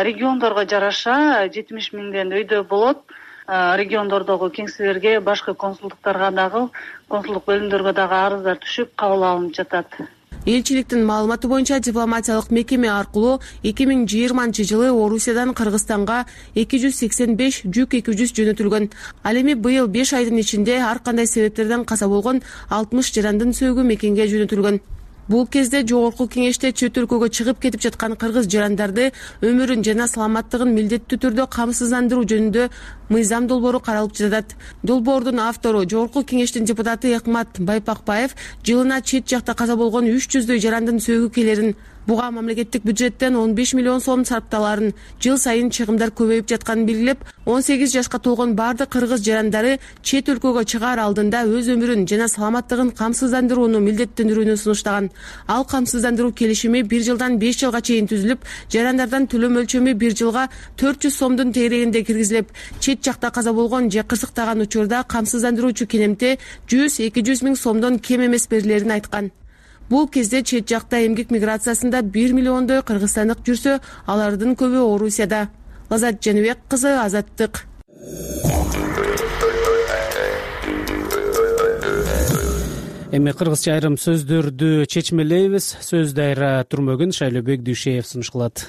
региондорго жараша 70 000 өйдө болот. Региондордогу кеңселерге, башка консулдуктарга дагы, консулдук бөлүмдөргө дагы арыздар түшүп кабыл алынып жатат. Элчиликтин маалыматы боюнча дипломатиялык мекеме аркылуу 2020-жылы Орусиядан Кыргызстанга 285 жүк экибүз жөнөтүлгөн. Ал эми быйыл 5 айдын ичинде ар кандай себептерден каза болгон 60 жарандын сөөгү мекенге жөнөтүлгөн. Бул кезде Жогорку Кеңеште чөт өлкөгө чыгып кетип жаткан кыргыз жарандарды өмүрүн жана саламаттыгын милдеттүү түрдө камсыздандыруу жөнүндө мыйзам долбоору каралып жатат. Долбоордун автору Жогорку Кеңештин депутаты Экмат Байпакбаев жылына чет жакта каза болгон 300дөй жарандын сөөгү келерин, буга мамлекеттик бюджеттен 15 миллион сом сарпталарын, жыл сайын чыгымдар көбөйүп жатканын белгилеп, 18 жашка толгон бардык кыргыз жарандары чет өлкөгө чыгаар алдында өз өмүрүн жана саламаттыгын камсыздандырууну милдеттендирүүнү сунуштаган. Ал камсыздандыруу келишими 1 жылдан 5 жылга чейин түзүлүп, жарандардан төлөм өлчөмү 1 жылга 400 сомдун тегерегинде киргизилип, чет жакта каза болгон же кырсыктаган учурда камсыздандыруучу кенемте 100-200 миң сомдон кем эмес берилерин айткан. Бул кезде чет жакта эмгек миграциясында 1 миллиондой кыргызстандык жүрсө, алардын көбү Орусияда. Лазат Жаныбек кызы, Азаттык. Эми кыргызча айрым сөздөрдү чечмелейбиз. Сөз дайра Турмөгүн Шайлообек Дүйшеев сунуш кылат.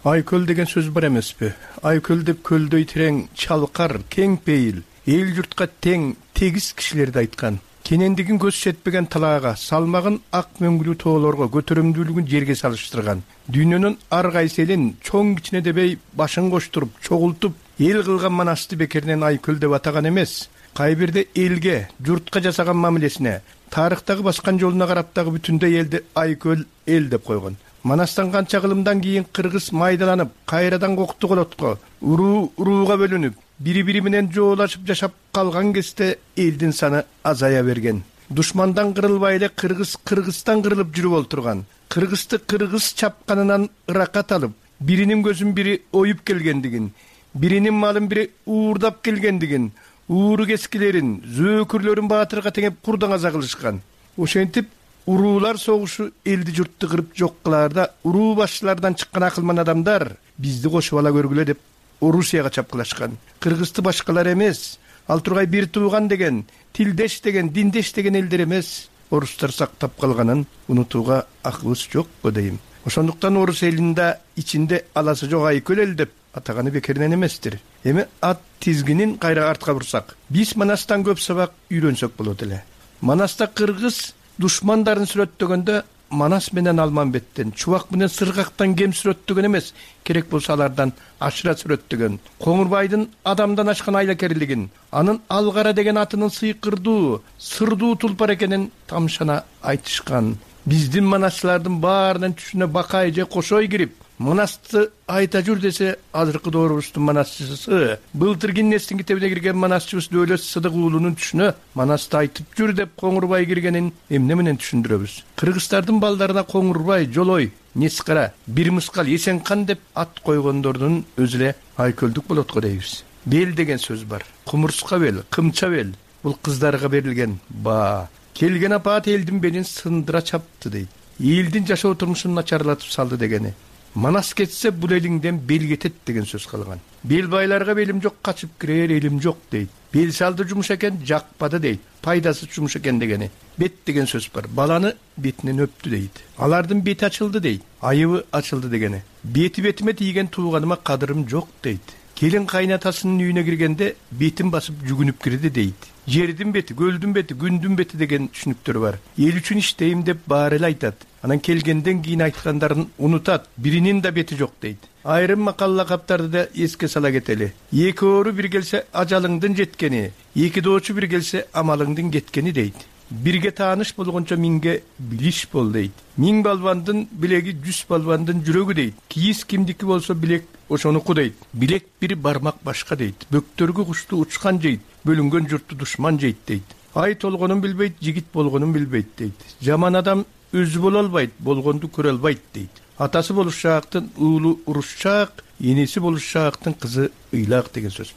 Айкөл деген сөз бар эмеспи? Айкөл деп көлдөй терең, чалкар, кең пейил, эл журтка тең, тегиз кишилерди айткан. Кенендигин көз жетпеген талаага, салмагын ак мөңгүлүү тоолорго, көтөрүмдүүлүгүн жерге салыштырган. Дүйнөнүн ар кайсы элин чоң кичине дебей башын коштуруп, чогултуп, эл кылган манасты бекеринен айкөл деп атаган эмес. Кай бирде элге, журтка жасаган мамилесине, тарыхтагы баскан жолуна карап дагы бүтүндөй элди айкөл эл деп койгон. Манастан канча кылымдан кийин кыргыз майдаланып, кайрадан кокту колотко, урууга бөлүнүп, бири-бири менен жоолашып жашап калган кезде элдин саны азая берген. Душмандан кырылбай эле Кыргызстан кырылып жүрүп олтурган. Кыргызды кыргыз чапканынан ыракат алып, биринин көзүн бири оюп келгендигин, биринин малын бири уурдап келгендигин, ууру кескилерин, зөөкүрлөрүн баатырга теңеп курдан аза кылышкан. Ошентип уруулар согушу элди журтту кырып жок кылаарда уруу башчылардан чыккан акылман адамдар бизди кошуп ала көргүлө деп Орусияга чапкылашкан. Кыргызды башкалар эмес, ал тургай бир тууган деген, тилдеш деген, диндеш деген элдер эмес, орустар сактап калганын унутууга акыбыз жок го дейм. Ошондуктан орус элинде ичинде аласы жок айкөл эл деп атаганы бекеринен эместир. Эми ат тизгинин кайра артка бурсак, биз Манастан көп сабак үйрөнсөк болот эле. Манаста кыргыз душмандарын сүрөттөгөндө Манас менен Алманбеттен, Чубак менен Сыргактан кем сүрөттөгөн эмес, керек болсо алардан ашыра сүрөттөгөн. Коңурбайдын адамдан ашкан айлакерлигин, анын Алгара деген атынын сыйкырдуу, сырдуу тулпар экенин тамшана айтышкан. Биздин манасчылардын баарынын түшүнө бакай же кошой кирип, Манасты айта жүр десе, азыркы доорубуздун манасчысы, былтыр Гиннестин китебине кирген манасчыбыз Дөөлөт Сыдык уулунун түшүнө Манасты айтып жүр деп Коңурбай киргенин эмне менен түшүндүрөбүз? Кыргыздардын балдарына Коңурбай, Жолой, Нескара, Бир Мыскал, Эсенкан деп ат койгондордун өзү эле айкөлдүк болот го дейбиз. Бел деген сөз бар. Кумурска бел, кымча бел. Бул кыздарга берилген баа. Келген апаат элдин белин сындыра чапты дейт. Элдин жашоо турмушун начарлатып салды дегени. Манас кетсе бул элиңден бел кетет деген сөз калган. Бел байларга белим жок, качып кирер элим жок дейт. Бел салды жумуш экен, жакпады дейт. Пайдасы жумуш экен дегени. Бет деген сөз бар. Баланы бетинен өптү дейт. Алардын бети ачылды дейт. Айыбы ачылды дегени. Бети бетиме тийген тууганыма кадырым жок дейт. Келин кайнатасынын үйүнө киргенде бетин басып жүгүнүп кирди дейт. Жердин бети, көлдүн бети, күндүн бети деген түшүнүктөр бар. Эл үчүн иштейм деп баары эле айтат. Анан келгенден кийин айткандарын унутат. Биринин да бети жок дейт. Айрым макал лакаптарды да эске сала кетели. Эки оору бир келсе ажалыңдын жеткени, эки доочу бир келсе амалыңдын кеткени дейт. Бирге тааныш болгончо миңге билиш бол дейт. Миң балбандын билеги 100 балбандын жүрөгү дейт. Кийиз кимдики болсо билек ошонуку дейт. Билек бир бармак башка дейт. Бөктөргө кушту учкан жейт. Бөлүнгөн журтту душман жейт дейт. Ай толгонун билбейт, жигит болгонун билбейт дейт. Жаман адам өзү боло албайт, болгонду көрө албайт дейт. Атасы болушаактын уулу урушчаак, энеси болушаактын кызы ыйлак деген сөз.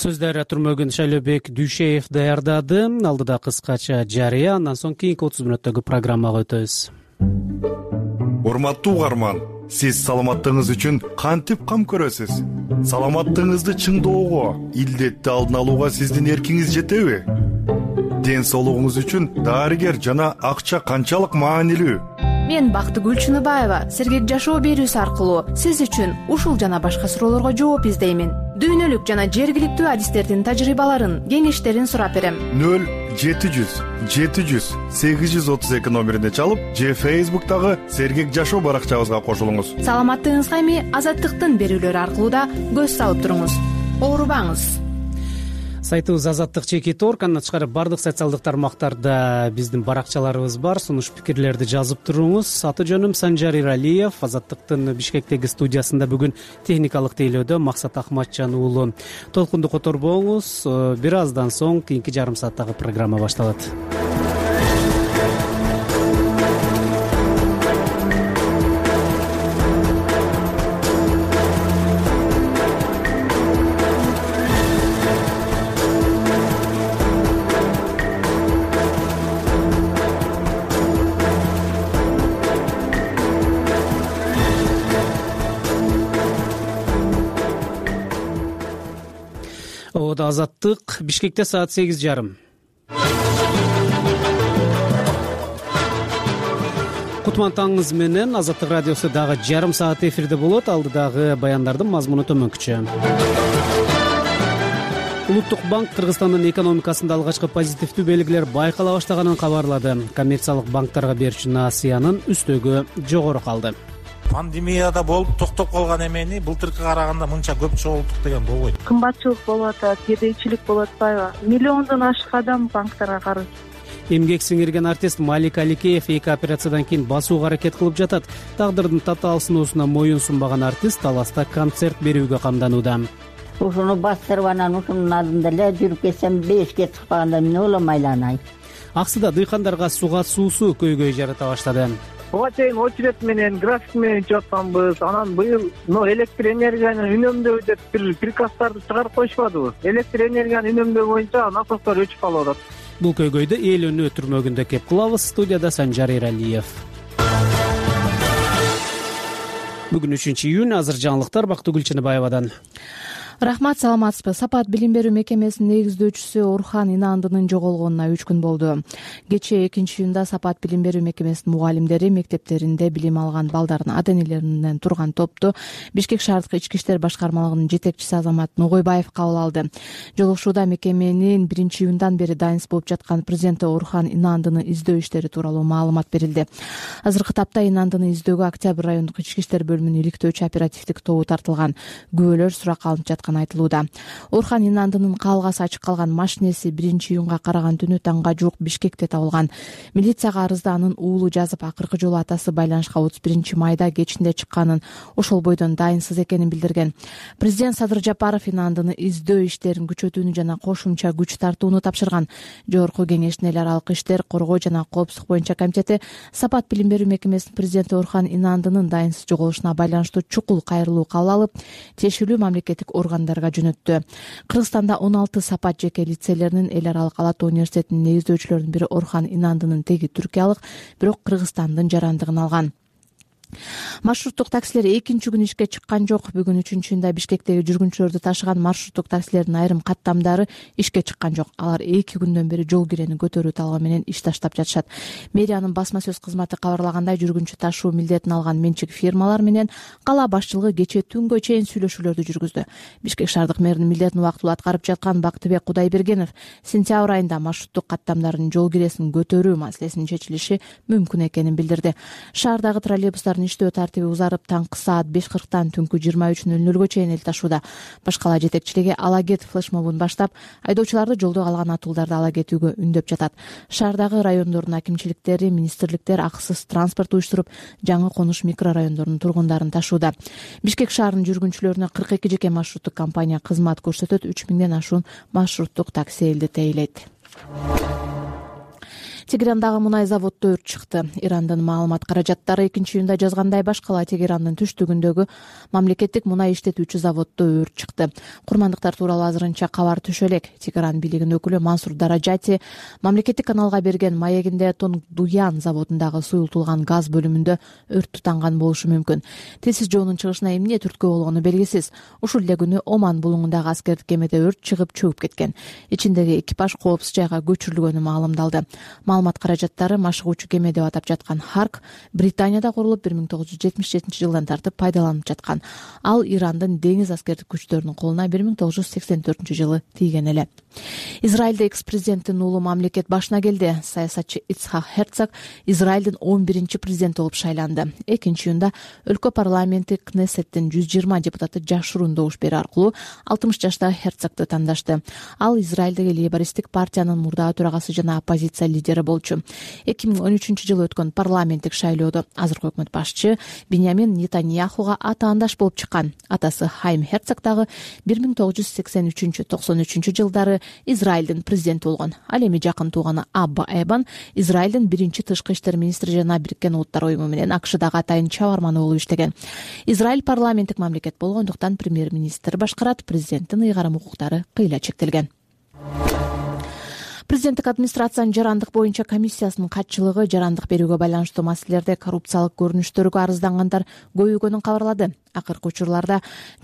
Сөздөр Турмөгүн Шайлообек Дүйшеев даярдады. Алдыда кыскача жарыя, андан соң кийинки 30 мүнөттөгү программага өтөбүз. Урматтуу угарман, сиз саламаттыгыңыз үчүн кантип кам көрөсүз? Саламаттыгыңызды чыңдоого, илдетти алдын алууга сиздин эркиңиз жетеби? ден соолугуңуз үчүн дарыгер жана акча канчалык маанилүү? Мен Бактыгүл Чыныбаева сергек жашоо берүүсү аркылуу сиз үчүн ушул жана башка суроолорго жооп издеймин. Дүйнөлүк жана жергиликтүү адистердин тажрыйбаларын, кеңештерин сурап берем. 0700-700-832 номерине чалып же Facebook'тагы сергек жашоо баракчабызга кошулуңуз. Саламаттыгыңызга эми Азаттыктын берүүлөрү аркылуу да көз салып туруңуз. Оорубаңыз. Сайтыбыз Азаттык.org, андан тышкары бардык социалдык тармактарда биздин баракчаларыбыз бар. Сунуш пикирлерди жазып туруңуз. Аты жөнүм Санжар Иралиев. Азаттыктын Бишкектеги студиясында бүгүн техникалык тейлөөдө Максат Ахматжан уулу. Толкунду которбоңуз. Бир аздан соң кийинки жарым сааттагы программа башталат. Азаттык. Бишкекте саат 8:30. Кутман таңыңыз менен Азаттык радиосу дагы жарым саат эфирде болот. Алдыдагы баяндардын мазмуну төмөнкүчө. Улуттук банк Кыргызстандын экономикасында алгачкы позитивдүү белгилер байкала баштаганын кабарлады. Коммерциялык банктарга берүүчү насыянын үстөгү жогору калды. Пандемияда болуп токтоп калган эмени былтыркыга караганда мынча көп чогулттук деген болбойт. Кымбатчылык болуп атат, кедейчилик болуп атпайбы? Миллиондон ашык адам банктарга карыз. Эмгек сиңирген артист Малик Аликеев 2 операциядан кийин басууга аракет кылып жатат. Тагдырдын татаал сыноосуна моюн сунбаган артист Таласта концерт берүүгө камданууда. Ушуну бастырып анан ушунун алдында эле жүрүп кетсем 5ке чыкпаганда эмне болом айланай. Аксыда дыйкандарга суга суусу көйгөй жарата баштады. Буга чейин очередь менен график менен ичип атканбыз. Анан быйыл электр энергияны үнөмдөө деп бир приказдарды чыгарып коюшпадыбы? Электр энергияны үнөмдөө боюнча насостор өчүп калып атат. Бул көйгөйдү эл өнөө түрмөгүндө кеп кылабыз. Студияда Санжар Иралиев. Бүгүн 3-июнь. Азыр жаңылыктар Бактыгүл Чыныбаевадан. Рахмат, саламатсызбы. Сапат билим берүү мекемесинин негиздөөчүсү Орхан Инандынын жоголгонуна 3 күн болду. Кечээ 2-июнда Сапат билим берүү мекемесинин мугалимдери мектептеринде билим алган балдардын ата-энелеринен турган топту Бишкек шаардык ички иштер башкармалыгынын жетекчиси Азамат Ногойбаев кабыл алды. Жолугушууда мекеменин 1-июндан бери дайынсыз болуп жаткан президенти Орхан Инандынын издөө иштери тууралуу маалымат берилди. Азыркы тапта Инандыны издөөгө Октябрь райондук ички иштер бөлүмүнүн иликтөөчү оперативдик тобу тартылган. Күбөлөр суракка алынып жаткан айтылууда. Орхан Инандынын каалгасы ачык калган машинеси 1-июнга караган түнү таңга жуук Бишкекте табылган. Милицияга арызда анын уулу жазып, акыркы жолу атасы байланышка 31 майда кечинде чыкканын, ошол бойдон дайынсыз экенин билдирген. Президент Садыр Жапаров Инандыны издөө иштерин күчөтүүнү жана кошумча күч тартууну тапшырган. Жогорку кеңештин эл аралык иштер, коргоо жана коопсуздук боюнча комитети Сапат билим берүү мекемесинин президенти Орхан Инандынын дайынсыз жоголушуна байланыштуу чукул кайрылуу кабыл алып, тиешелүү мамлекеттик органдарга жөнөттү. Кыргызстанда 16 Сапат жеке лицейлеринин эл аралык Ала Тоо университетинин негиздөөчүлөрүнүн бири Орхан Инандынын теги түркиялык, бирок Кыргызстандын жарандыгын алган. Маршруттук таксилер 2-күн ишке чыккан жок. Бүгүн 3-июнда Бишкектеги жүргүнчүлөрдү ташыган маршруттук таксилердин айрым каттамдары ишке чыккан жок. Алар 2 күндөн бери жол кирени көтөрүү талабы менен иш таштап жатышат. Мэриянын басма сөз кызматы кабарлагандай, жүргүнчү ташуу милдетин алган менчик фирмалар менен кала башчылыгы кечээ түнгө чейин сүйлөшүүлөрдү жүргүздү. Бишкек шаардык мэринин милдетин убактылуу аткарып жаткан Бактыбек Кудайбергенов сентябрь айында маршруттук каттамдардын жол киресин көтөрүү маселесинин чечилиши мүмкүн экенин билдирди. Шаардагы троллейбустардын иштөө тартиби узарып, таңкы саат 5:40 түнкү 23:00 чейин эл ташууда. Башкала жетекчилиги ала кет флешмобун баштап, айдоочуларды жолдо калган атуулдарды ала кетүүгө үндөп жатат. Шаардагы райондордун акимчиликтери, министрликтер акысыз транспорт уюштуруп, жаңы конуш микрорайондордун тургундарын ташууда. Бишкек шаарынын жүргүнчүлөрүнө 42 жеке маршруттук компания кызмат көрсөтөт. 3000ден ашуун маршруттук такси элди тейлейт. Тегерандагы мунай заводдо өрт чыкты. Ирандын маалымат каражаттары 2-июнда жазгандай башкала Тегерандын түштүгүндөгү мамлекеттик мунай иштетүүчү заводдо өрт чыкты. Курмандыктар тууралуу азырынча кабар түшө элек. Тегеран бийлигинин өкүлү Мансур Даражати мамлекеттик каналга берген маегинде Тонгдуян заводундагы суюлтулган газ бөлүмүндө өрт тутанган болушу мүмкүн. Тесиз жоонун чыгышына эмне түрткү болгону белгисиз. Ушул эле күнү Оман булуңундагы аскердик кемеде өрт чыгып чөгүп кеткен. Ичиндеги экипаж коопсуз жайга көчүрүлгөнү маалымдалды. Маалымат каражаттары машыгуучу кеме деп атап жаткан Харк Британияда курулуп 1977-жылдан тартып пайдаланып жаткан. Ал Ирандын деңиз аскердик күчтөрүнүн колуна 1984-жылы тийген эле. Израилде экс-президенттин уулу мамлекет башына келди. Саясатчы Ицхак Херцог Израилдин 11-чи президенти болуп шайланды. 2-июнда өлкө парламенти Кнессеттин 120 депутаты жашыруун добуш берүү аркылуу 60 жаштагы Херцогду тандашты. Ал Израилдеги лейбористтик партиянын мурдагы төрагасы жана оппозиция лидери болчу. 2013-жылы өткөн парламенттик шайлоодо азыркы өкмөт башчы Биньямин Нетаньяхуга атаандаш болуп чыккан. Атасы Хайм Херцог дагы 1983-93 жылдары Израилдин президенти болгон. Ал эми жакын тууганы Абба Эбан Израилдин биринчи тышкы иштер министри жана Бириккен Улуттар уюму менен АКШдагы атайын чабарманы болуп иштеген. Израиль парламенттик мамлекет болгондуктан премьер-министр башкарат, президенттин ыйгарым укуктары кыйла чектелген. Президенттик администрациянын жарандык боюнча комиссиясынын катчылыгы жарандык берүүгө байланыштуу маселелерде коррупциялык көрүнүштөргө арыздангандар көбөйгөнүн кабарлады. Акыркы учурларда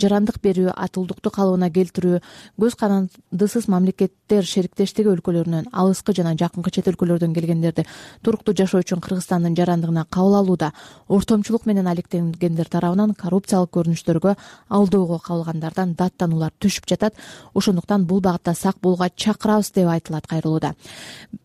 жарандык берүү, атылдукту калыбына келтирүү, көз карандысыз мамлекеттер шериктештиги өлкөлөрүнөн, алыскы жана жакынкы чет өлкөлөрдөн келгендерди туруктуу жашоо үчүн Кыргызстандын жарандыгына кабыл алууда ортомчулук менен алектенгендер тарабынан коррупциялык көрүнүштөргө алдоого кабылгандардан даттануулар түшүп жатат. Ошондуктан бул багытта сак болууга чакырабыз деп айтылат кайрылууда.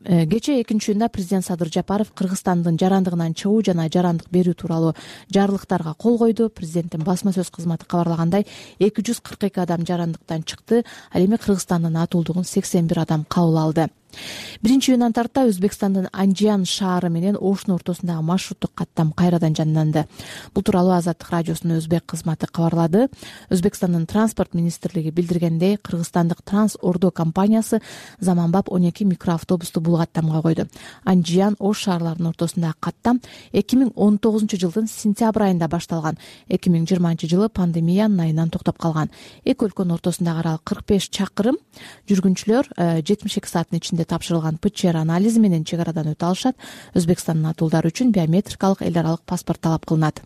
Кечээ 2-июнда президент Садыр Жапаров Кыргызстандын жарандыгынан чыгуу жана жарандык берүү тууралуу жарлыктарга кол койду. Президенттин басма сөз кызматы кабарлагандай 242 адам жарандыктан чыкты. Ал эми Кыргызстандын атуулдугун 81 адам кабыл алды. 1-июндан тарта Өзбекстандын Анжиян шаары менен Ошун ортосундагы маршруттук каттам кайрадан жанданды. Бул тууралуу Азаттык радиосунун өзбек кызматы кабарлады. Өзбекстандын транспорт министрлиги билдиргендей, кыргызстандык Транс Ордо компаниясы заманбап 12 микроавтобусту бул каттамга койду. Анжиян Ош шаарларынын ортосундагы каттам 2019-жылдын сентябрь айында башталган. 2020-жылы пандемиянын айынан токтоп калган. Эки өлкөнүн ортосундагы аралык 45 чакырым. Жүргүнчүлөр 72 сааттын ичинде тапшырылган ПЧР анализи менен чек арадан өтө алышат. Өзбекстандын атуулдары үчүн биометрикалык эл аралык паспорт талап кылынат.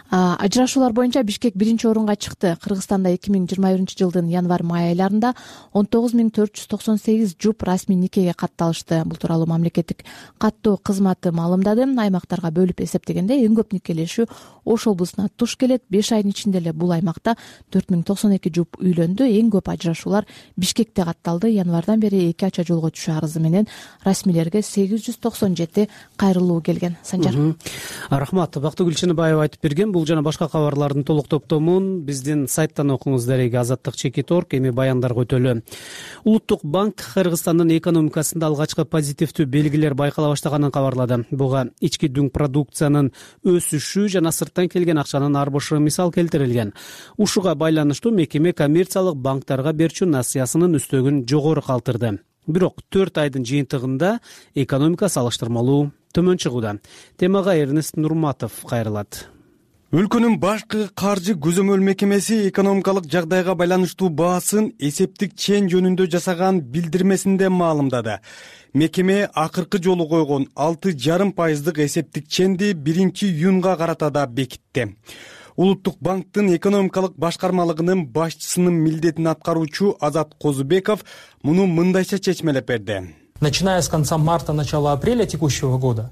Ажырашуулар боюнча Бишкек 1-орунга чыкты. Кыргызстанда 2021-жылдын январь-май айларында 19498 жуп расмий никеге катталышты. Бул тууралуу мамлекеттик каттоо кызматы маалымдады. Аймактарга бөлүп эсептегенде эң көп никелешүү Ош облусуна туш келет. 5 айдын ичинде эле бул аймакта 4092 жуп үйлөндү. Эң көп ажырашуулар Бишкекте катталды. Январдан бери 2 ача жолго түшүү арызы менен расмийлерге 897 кайрылуу келген. Санжар. Рахмат. Бактыгүл Чыныбаева айтып берген. Бул жана башка кабарлардын толук топтомун биздин сайттан окуңуз. Дареги Азаттык.org. Эми баяндарга өтөлү. Улуттук банк Кыргызстандын экономикасында алгачкы позитивдүү белгилер байкала баштаганын кабарлады. Буга ички дүң продукциянын өсүшү жана сырттан келген акчанын арбышы мисал келтирилген. Ушуга байланыштуу мекеме коммерциялык банктарга берчү насыясынын үстөгүн жогору калтырды. Бирок 4 айдын жыйынтыгында экономика салыштырмалуу төмөн чыгууда. Темага Эрнест Нурматов кайрылат. Өлкөнүн башкы каржы көзөмөл мекемеси экономикалык жагдайга байланыштуу баасын эсептик чен жөнүндө жасаган билдирмесинде маалымдады. Мекеме акыркы жолу койгон 6,5% эсептик ченди 1-июнга карата да бекитти. Улуттук банктын экономикалык башкармалыгынын башчысынын милдетин аткаруучу Азат Козубеков муну мындайча чечмелеп берди. Начиная с конца марта, начала апреля текущего года.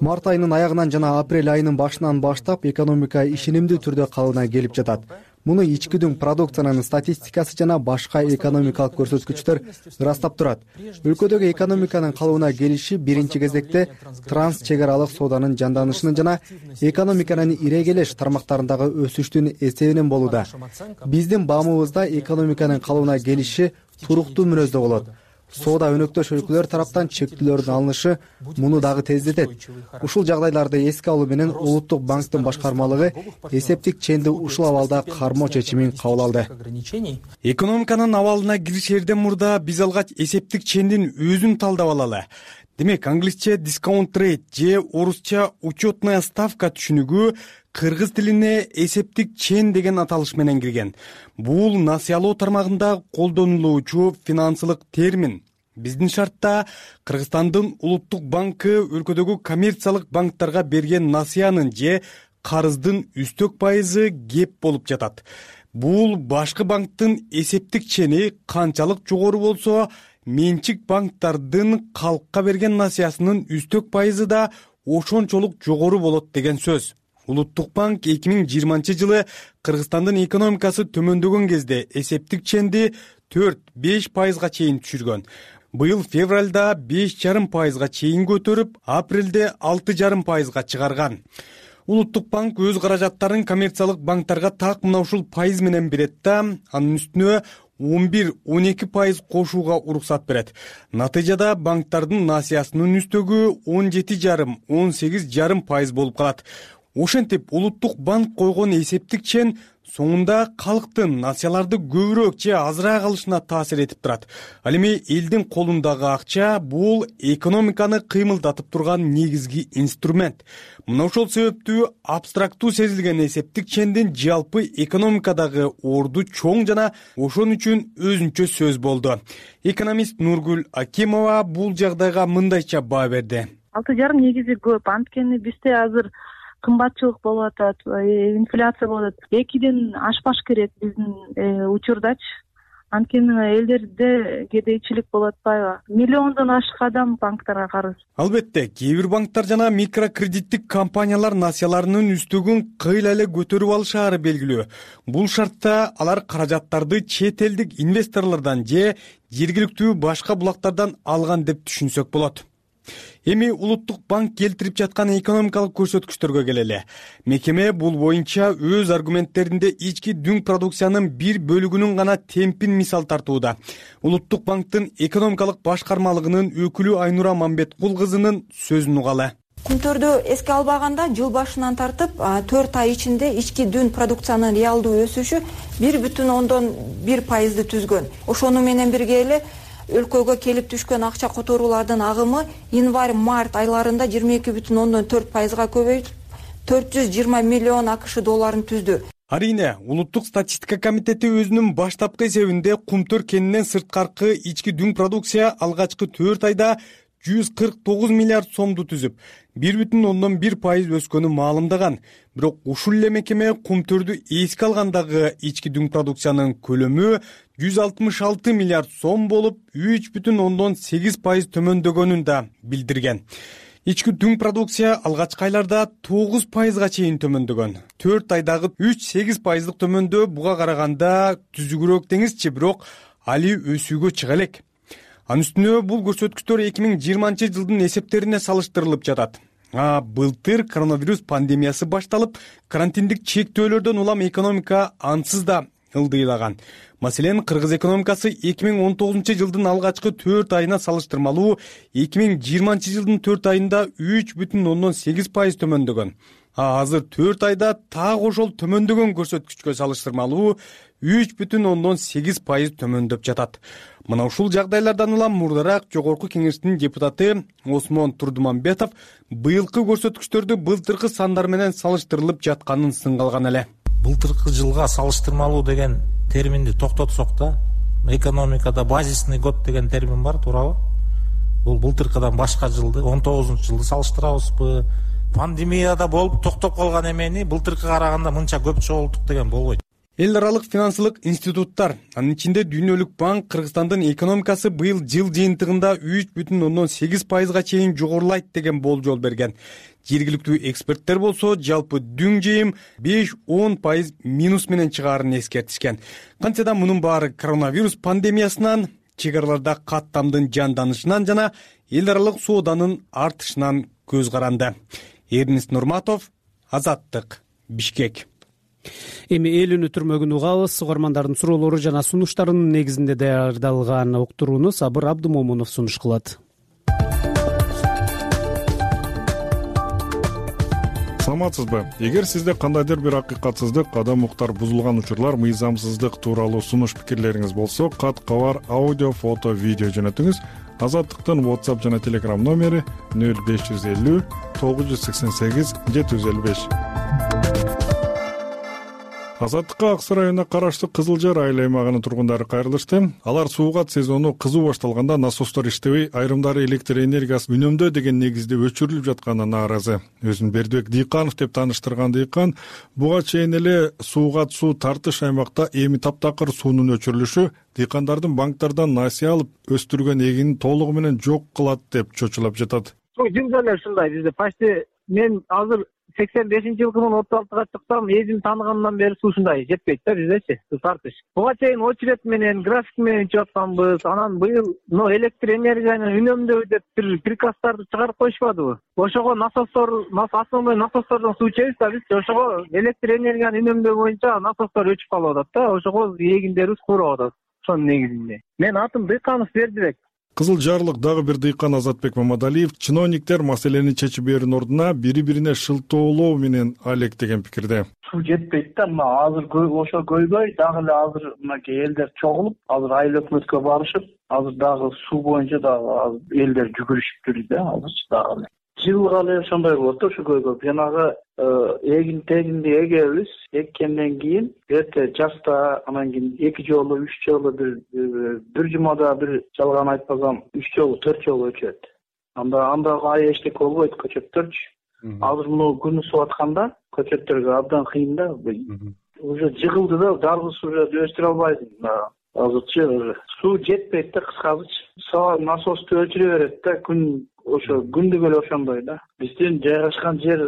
Март айынын аягынан жана апрель айынын башынан баштап экономика ишенимдүү түрдө калыбына келип жатат. Муну ички дүң продукциянын статистикасы жана башка экономикалык көрсөткүчтөр ырастап турат. Өлкөдөгү экономиканын калыбына келиши биринчи кезекте транс чек аралык сооданын жанданышынын жана экономиканын ирегелеш тармактарындагы өсүштүн эсебинен болууда. Биздин баамыбызда экономиканын калыбына келиши туруктуу мүнөздө болот. соода өнөктөш өлкөлөр тараптан чектөөлөрдүн алынышы муну дагы тездетет. Ушул жагдайларды эске алуу менен Улуттук банктын башкармалыгы эсептик ченди ушул абалда кармоо чечимин кабыл алды. Экономиканын абалына киришерден мурда биз алгач эсептик чендин өзүн талдап алалы. Демек, англисче discount rate же орусча учетная ставка түшүнүгү кыргыз тилине эсептик чен деген аталыш менен кирген. Бул насыялоо тармагында колдонулуучу финансылык термин. Биздин шартта Кыргызстандын Улуттук банкы өлкөдөгү коммерциялык банктарга берген насыянын же карыздын үстөк пайызы кеп болуп жатат. Бул башкы банктын эсептик чени канчалык жогору болсо, менчик банктардын калкка берген насыясынын үстөк пайызы да ошончолук жогору болот деген сөз. Улуттук банк 2020-жылы Кыргызстандын экономикасы төмөндөгөн кезде эсептик ченди 4-5 пайызга чейин түшүргөн. Быйыл февралда 5,5 пайызга чейин көтөрүп, апрелде 6,5 пайызга чыгарган. Улуттук банк өз каражаттарын коммерциялык банктарга так мына ушул пайыз менен берет да, анын үстүнө 11-12 пайыз кошууга уруксат берет. Натыйжада банктардын насыясынын үстөгү 17,5-18,5 пайыз болуп калат. Ошентип, Улуттук банк койгон эсептик чен соңунда калктын насыяларды көбүрөөк же азыраак алышына таасир этип турат. Ал эми элдин колундагы акча бул экономиканы кыймылдатып турган негизги инструмент. Мына ошол себептүү абстрактуу сезилген эсептик чендин жалпы экономикадагы орду чоң жана ошон үчүн өзүнчө сөз болду. Экономист Нургүл Акимова бул жагдайга мындайча баа берди. 6,5 негизи көп, анткени бизде азыр кымбатчылык болуп атат, инфляция болуп атат. 2ден ашпаш керек биздин учурдачы. Анткени элдерде кедейчилик болуп атпайбы? Миллиондон ашык адам банктарга карыз. Албетте, кээ бир банктар жана микрокредиттик компаниялар насыяларынын үстөгүн кыйла эле көтөрүп алышаары белгилүү. Бул шартта алар каражаттарды чет элдик инвесторлордон же жергиликтүү башка булактардан алган деп түшүнсөк болот. Эми Улуттук банк келтирип жаткан экономикалык көрсөткүчтөргө келели. Мекеме бул боюнча өз аргументтеринде ички дүң продукциянын бир бөлүгүнүн гана темпин мисал тартууда. Улуттук банктын экономикалык башкармалыгынын өкүлү Айнура Мамбеткул кызынын сөзүн угалы. Күнтөрдү эске албаганда жыл башынан тартып 4 ай ичинде ички дүң продукциянын реалдуу өсүшү 1,1% түзгөн. Ошону менен бирге эле өлкөгө келип түшкөн акча которуулардын агымы январь-март айларында 22,4%га көбөйүп 420 миллион АКШ долларын түздү. Арийне, Улуттук статистика комитети өзүнүн баштапкы эсебинде Кумтөр кенинен сырткаркы ички дүң продукция алгачкы 4 айда 149 миллиард сомду түзүп, 1,1% өскөнү маалымдаган. Бирок ушул эле мекеме Кумтөрдү эске алгандагы ички дүң продукциянын көлөмү 166 миллиард сом болуп, 3,8% төмөндөгөнүн да билдирген. Ички дүң продукция алгачкы айларда 9%га чейин төмөндөгөн. 4 айдагы 3,8% төмөндөө буга караганда түзүгүрөөк деңизчи, бирок али өсүүгө чыга элек. Анын үстүнө бул көрсөткүчтөр 2020-жылдын эсептерине салыштырылып жатат. Былтыр коронавирус пандемиясы башталып, карантиндик чектөөлөрдөн улам экономика ансыз да ылдыйлаган. Маселен, кыргыз экономикасы 2019-жылдын алгачкы 4 айына салыштырмалуу 2020-жылдын 4 айында 3,8% төмөндөгөн. Азыр 4 айда так ошол төмөндөгөн көрсөткүчкө салыштырмалуу 3,8% төмөндөп жатат. Мына ушул жагдайлардан улам мурдараак Жогорку Кеңештин депутаты Осмон Турдуманбетов быйылкы көрсөткүчтөрдү былтыркы сандар менен салыштырылып жатканын сынгалган эле. Былтыркы жылга салыштырмалуу деген терминди токтотсок да, экономикада базисный год деген термин бар, туурабы? Бул былтыркыдан башка жылды, 19-жылды салыштырабызбы? Пандемияда болуп токтоп калган эмени былтыркыга караганда мынча көп чогулттук деген болбойт. Эл аралык финансылык институттар, анын ичинде Дүйнөлүк банк Кыргызстандын экономикасы быйыл жыл жыйынтыгында 3,8%га чейин жогорулайт деген болжол берген. Жергиликтүү эксперттер болсо жалпы дүң жыйым 5-10% минус менен чыгаарын эскертишкен. Кантсе да мунун баары коронавирус пандемиясынан, чек араларда каттамдын жанданышынан жана эл аралык сооданын артышынан көз каранды. Эрнест Нурматов, Азаттык, Бишкек. Эми эл үнү түрмөгүн угабыз. Угармандардын суроолору жана сунуштарынын негизинде даярдалган уктурууну Сабыр Абдымомунов сунуш кылат. Саламатсызбы? Эгер сизде кандайдыр бир акыйкатсыздык, адам укуктар бузулган учурлар, мыйзамсыздык тууралуу сунуш пикирлериңиз болсо, кат-кабар, аудио, фото, видео жөнөтүңүз. Азаттыктын WhatsApp жана Telegram номери 0550 988 755. Азаттыкка Ак Суу районуна караштуу Кызыл Жар айыл аймагынын тургундары кайрылышты. Алар суугат сезону кызуу башталганда насостор иштебей, айрымдары электр энергиясын үнөмдөө деген негизде өчүрүлүп жатканына нааразы. Өзүн Бердибек Дыйканов деп тааныштырган Дыйкан, буга чейин эле суугат суу тартыш аймакта эми таптакыр суунун өчүрүлүшү дыйкандардын банктардан насыя алып өстүргөн эгинин толугу менен жок кылат деп чочулап жатат. Жылда эле ушундай бизде почти мен азыр 85-жылкымын 36-га чыксам, эзим тааныгандан бери суу ушундай жетпейт да биздечи, суу тартыш. Буга чейин очередь менен, график менен ичип атканбыз. Анан быйыл электр энергияны үнөмдөө деп бир приказдарды чыгарып коюшпадыбы? Ошого основной насостордон суу ичебиз да биз. Ошого электр энергияны үнөмдөө боюнча насостор өчүп калып атат да. Ошого эгиндерибиз куурап атат. Ошонун негизинде. Мен атым Дыйканов Бердибек. Кызыл Жарлык дагы бир дыйкан Азатбек Мамадалиев чиновниктер маселени чечип берүүнүн ордуна бири-бирине шылтоолоо менен алектеген пикирде. Суу жетпейт да, азыр ошо көйбөй дагы эле азыр мынакей элдер чогулуп, азыр айыл өкмөткө барышып, азыр дагы суу боюнча дагы элдер жүгүрүшүп жүрдү да, азырчы дагы эле. Жылга эле ошондой болот да, ушу көйгөй. Жанагы эгин-тегинди эгебиз, эккенден кийин эрте жазда анан кийин 2 жолу, 3 жолу бир жумада бир жалган айтпасам 3 жолу, 4 жолу өчөт. Анда эчтеке болбойт көчөттөрчү. Азыр муну күнү сууп атканда көчөттөргө абдан кыйын да. Уже жыгылды да, жалгыз уже өстүрө албайсың. Азырчы суу жетпейт да, кыскасы. Насосту өчүрө берет да, күн ошо күндүк эле ошондой да. Биздин жайгашкан жер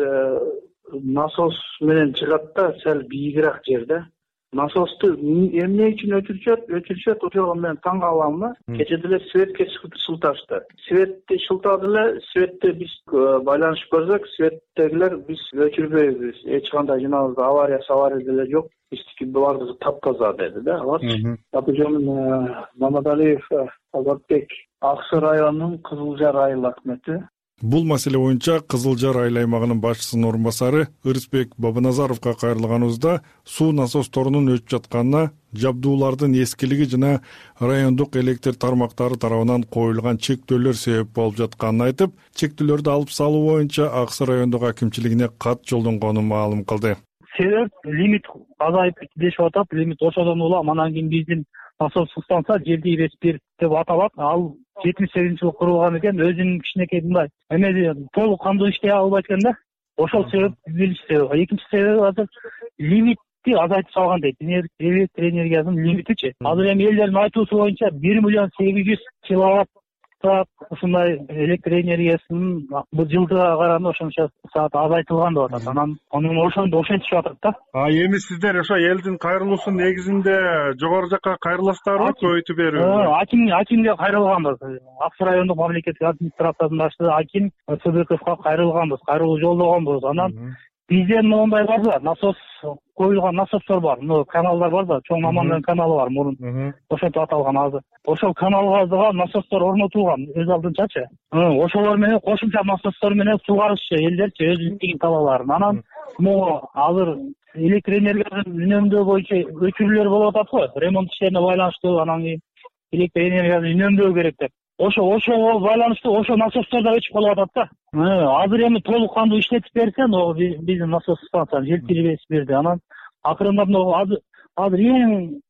насос менен чыгат да, сәл бийигирээк жер да. Насосту эмне үчүн өчүрүшөт, ошого мен таң калам да. Кече деле светке шылташты. Светти шылтады эле, светти биз байланышып көрсөк, светтегилер биз өчүрбөйбүз. Эч кандай жанагы авария деле жок. Биздики баардыгы таптаза деди да, аларчы. Атыжон Мамадалиев Азатбек, Ак Суу районунун Кызыл Жар айыл өкмөтү. Бул маселе боюнча Кызыл Жар айыл аймагынын башчысынын орун басары Ырысбек Бабаназаровго кайрылганыбызда суу насосторунун өчүп жатканына, жабдуулардын эскилиги жана райондук электр тармактары тарабынан коюлган чектөөлөр себеп болуп жатканын айтып, чектөөлөрдү алып салуу боюнча Ак Суу райондук акимчилигине кат жолдонгонун маалым кылды. Себеп лимит азайып дешип атат, лимит ошодон улам. Анан кийин биздин насос станция жерди Респир деп аталат. Ал 78-жылы курулган экен, өзүнүн кичинекей мындай эме толук кандуу иштей албайт экен да. Ошол себеп биринчи себеп. Экинчи себеби азыр лимитти азайтып салган дейт. Электр энергиясынын лимитичи. Азыр эми элдердин айтуусу боюнча 1 миллион 800 киловатт ушундай электр энергиясынын бул жылдыга караганда ошончо саат азайтылган деп атат. Анан ошентишип атат да. Эми сиздер ошо элдин кайрылуусунун негизинде жогору жакка кайрыласыздарбы, көбөйтүп берүү? Акимге кайрылганбыз. Ак Суу райондук мамлекеттик администрациянын башчысы Аким Сыдыковго кайрылганбыз, кайрылуу жолдогонбуз. Анан бизден моундай бар да, насос коюлган насостор бар. Каналдар бар да, чоң Мамандын каналы бар мурун. Ошентип аталган азыр. Ошол каналга дагы насостор орнотулган өз алдынчачы. Ошолор менен кошумча насостор менен суугарышчы элдерчи өзүнүн талааларын. Анан могу азыр электр энергиясын үнөмдөө боюнча өчүрүүлөр болуп атат го. Ремонт иштерине байланыштуу, анан кийин электр энергиясын үнөмдөө керек деп. Ошого байланыштуу ошо насостор да өчүп калып атат да. Азыр эми толук кандуу иштетип берсе, биздин насос станцияны желтирип берди. Анан акырындап азыр эң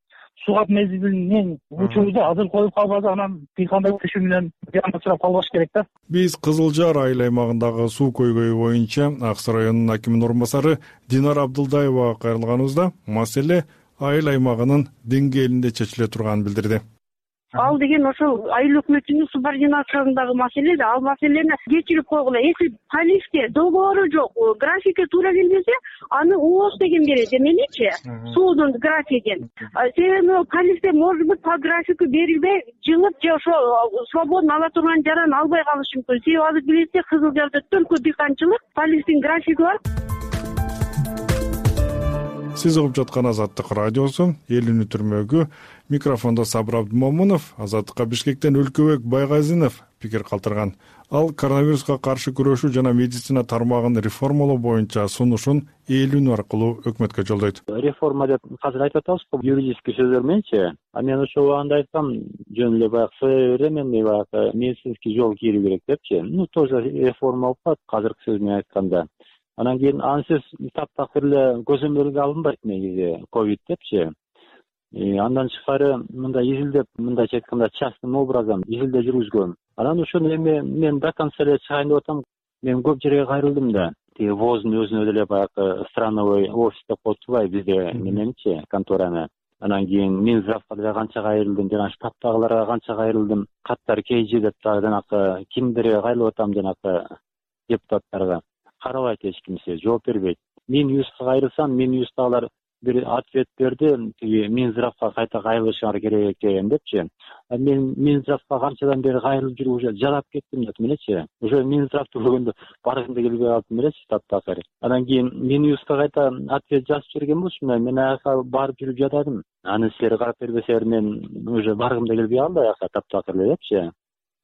суугат мезгилинен учурда азыр коюп калбаса, анан кандай күчү менен учурап калбаш керек да. Биз Кызыл Жар айыл аймагындагы суу көйгөйү боюнча Ак Суу районунун акиминин орун басары Динара Абдылдаевага кайрылганыбызда маселе айыл аймагынын деңгээлинде чечиле турганын билдирди. Ал деген ошол айыл өкмөтүнүн субординациясындагы маселе да. Ал маселени кечирип койгула. Если полисте договору жок, графикке туура келбесе, аны УОС деген берет эменичи, суудун графигин. Себеби полисте может быть по графику берилбей, жылып же ошо свободно ала турган жараны албай калышы мүмкүн. Себеби азыр билесиз, Кызыл Жарда төлкө дыйканчылык, полистин графиги бар. сиз угуп жаткан Азаттык радиосу. Эл үнү түрмөгү. Микрофондо Сабыр Абдымомунов. Азаттыкка Бишкектен Өлкөбек Байгазинов пикир калтырган. Ал коронавируска каршы күрөшүү жана медицина тармагын реформалоо боюнча сунушун эл үнү аркылуу өкмөткө жолдойт. Реформа деп азыр айтып атабызбы, юридический сөздөр мененчи. Мен ошо убагында айткам, жөн эле баягы современный баягы медицинский жол кирүү керек депчи. Тоже реформа болуп калат азыркы сөз менен айтканда. Анан кийин ансыз таптакыр эле көзөмөлгө алынбайт негизи ковид депчи. Андан тышкары мындай изилдеп, мындайча айтканда частным образом изилдөө жүргүзгөн. Анан ошону эми мен до конца эле чыгайын деп атам. Мен көп жерге кайрылдым да. Тиги ВОЗдун өзүнө деле баягы страновой офис деп коюптубай бизде мененчи контораны. Анан кийин Минздравга деле канча кайрылдым, жана штабтагыларга канча кайрылдым. Каттар KG деп дагы жанакы кимдерге кайрылып атам, жанакы депутаттарга. Карабайт эч кимсе, жооп бербейт. Минюстка кайрылсам, Минюстагылар бир ответ берди, тиги Минздравга кайта кайрылышыңар керек экен депчи. Мен Минздравга канчадан бери кайрылып жүрүп уже жалап кеттим деп элечи. Уже Минздравды көргөндө баргым да келбей калдым элечи таптакыр. Анан кийин Минюстка кайта ответ жазып берген болчумун, мен аяка барып жүрүп жатадым. Аны силер карап бербесеңер мен уже баргым да келбей калды аяка таптакыр эле депчи.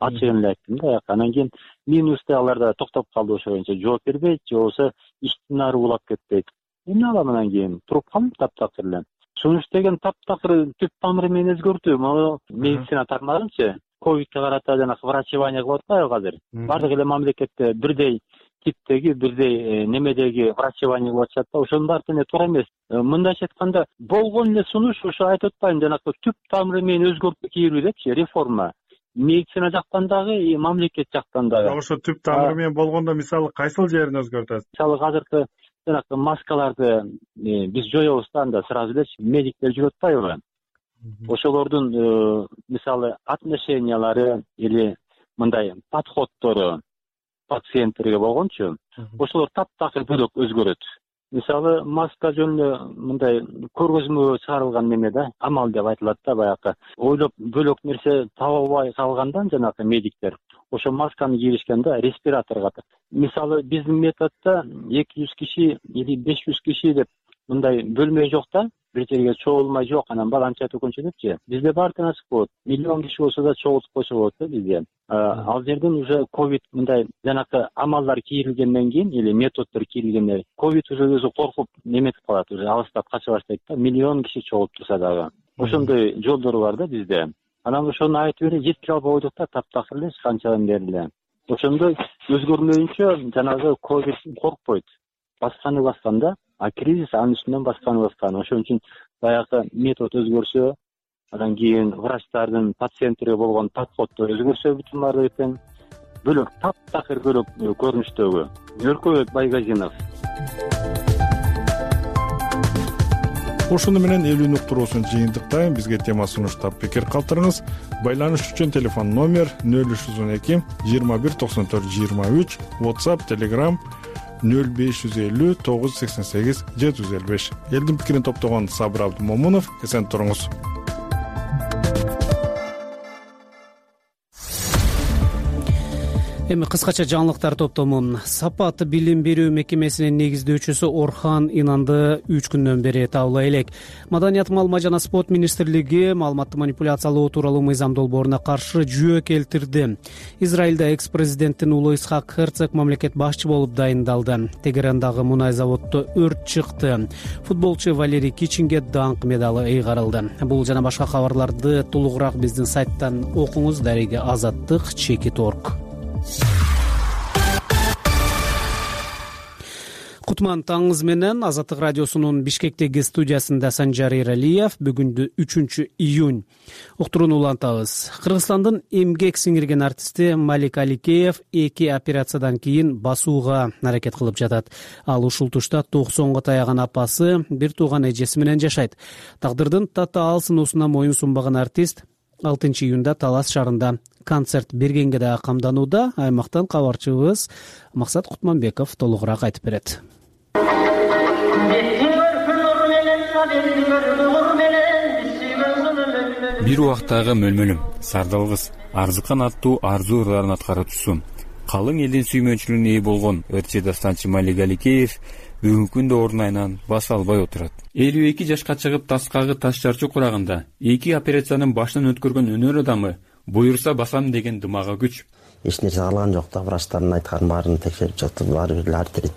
Ачыгын эле айттым да аяка. Анан кийин Минустагылар да токтоп калды ошо боюнча, жооп бербейт, же болбосо иштин ары улап кетпейт. Эмне кылам анан кийин? Туруп калдым таптакыр эле. Сунуш деген таптакыр түп тамыры менен өзгөртүү. Могу медицина тармагынчы ковидке карата жанагы врачевание кылып атпайбы азыр? Бардык эле мамлекетте бирдей типтеги, бирдей немедеги врачевание кылып атышат да, ошонун баары тене туура эмес. Мындайча айтканда, болгон эле сунуш ошо айтып атпайм, жанагы түп тамыры менен өзгөртүү кирүү депчи, реформа. Медицина жактан дагы, мамлекет жактан дагы. Ошо түп тамыры менен болгондо мисалы кайсыл жерин өзгөртөсүз? Мисалы азыркы жанакы маскаларды биз жоёбуз да, анда сразу элечи медиктер жүрүп атпайбы? Ошолордун мисалы отношениялары или мындай подходдору пациенттерге болгончу, ошолор таптакыр бөлөк өзгөрөт. Мисалы маска жөн эле мындай көргөзмөгө чыгарылган неме да, амал деп айтылат да, баягы ойлоп бөлөк нерсе таба албай калгандан жанакы медиктер ошо масканы кийишкенде респираторго. Мисалы биздин методдо 200 киши или 500 киши деп мындай бөлмө жок да, бир жерге чогулмай жок, анан баланча төкөнчө депчи. Бизде баардыгы ачык болот. Миллион киши болсо да чогултуп койсо болот да бизде. Ал жерден уже ковид мындай жанакы амалдар кийилгенден кийин или методдор кийилгенден кийин ковид уже өзү коркуп неметип калат, уже алыстап кача баштайт да, миллион киши чогулуп турса дагы. Ошондой жолдору бар да бизде. Анан ошону айтып эле жеткире албай койдук да, таптакыр эле канчадан бери эле. Ошондой өзгөрмөйүнчө жанагы ковид коркпойт. Баскан да, а кризис анын үстүнөн баскан. Ошон үчүн баягы метод өзгөрсө, анан кийин врачтардын пациенттерге болгон подходдо өзгөрсө бүтүн баардыгы тең бөлөк, таптакыр бөлөк көрүнүштөгү. Өлкөбек Байгазинов. Ошону менен эл үнү уктуруусун жыйынтыктайм. Бизге тема сунуштап пикир калтырыңыз. Байланыш үчүн телефон номер 0312 21 94 23, WhatsApp, Telegram 0550 988 755. Элдин пикирин топтогон Сабыр Абдымомунов. Эсен туруңуз. Эми кыскача жаңылыктар топтому. Сапат билим берүү мекемесинин негиздөөчүсү Орхан Инанды 3 күндөн бери табыла элек. Маданият, маалымат жана спорт министрлиги маалыматты манипуляциялоо тууралуу мыйзам долбооруна каршы жүйө келтирди. Израилде экс-президенттин уулу Исхак Херцог мамлекет башчы болуп дайындалды. Тегерандагы мунай заводдо өрт чыкты. Футболчу Валерий Кичинге даңк медалы ыйгарылды. Бул жана башка кабарларды толугураак биздин сайттан окуңуз. Дареге Азаттык.org. Кутман таңыңыз менен. Азаттык радиосунун Бишкектеги студиясында Санжар Эралиев. Бүгүндө 3 июнь. Уктурууну улантабыз. Кыргызстандын эмгек сиңирген артисти Малик Аликеев 2 операциядан кийин басууга аракет кылып жатат. Ал ушул тушта 90го таяган апасы, бир тууган эжеси менен жашайт. Тагдырдын татаал сыноосуна моюн сунбаган артист 6 июнда Талас шаарында концерт бергенге да камданууда. Аймактан кабарчыбыз Максат Кутманбеков толугураак айтып берет. Бир убактагы мөлмөлүм, сардалгыс, арзыкан аттуу арзуу ырларын аткаруучусу, калың элдин сүймөнчүлүгүнө ээ болгон ырчы дастанчы Малик Аликеев бүгүнкү күндө ордун айынан баса албай отурат. 52 жашка чыгып таскагы таш чарчу курагында 2 операциянын башынан өткөргөн өнөр адамы буюрса басам деген дымага күч. Эч нерсе калган жок да, врачтардын айтканын баарын текшерип чыктым. Баары бир артрит.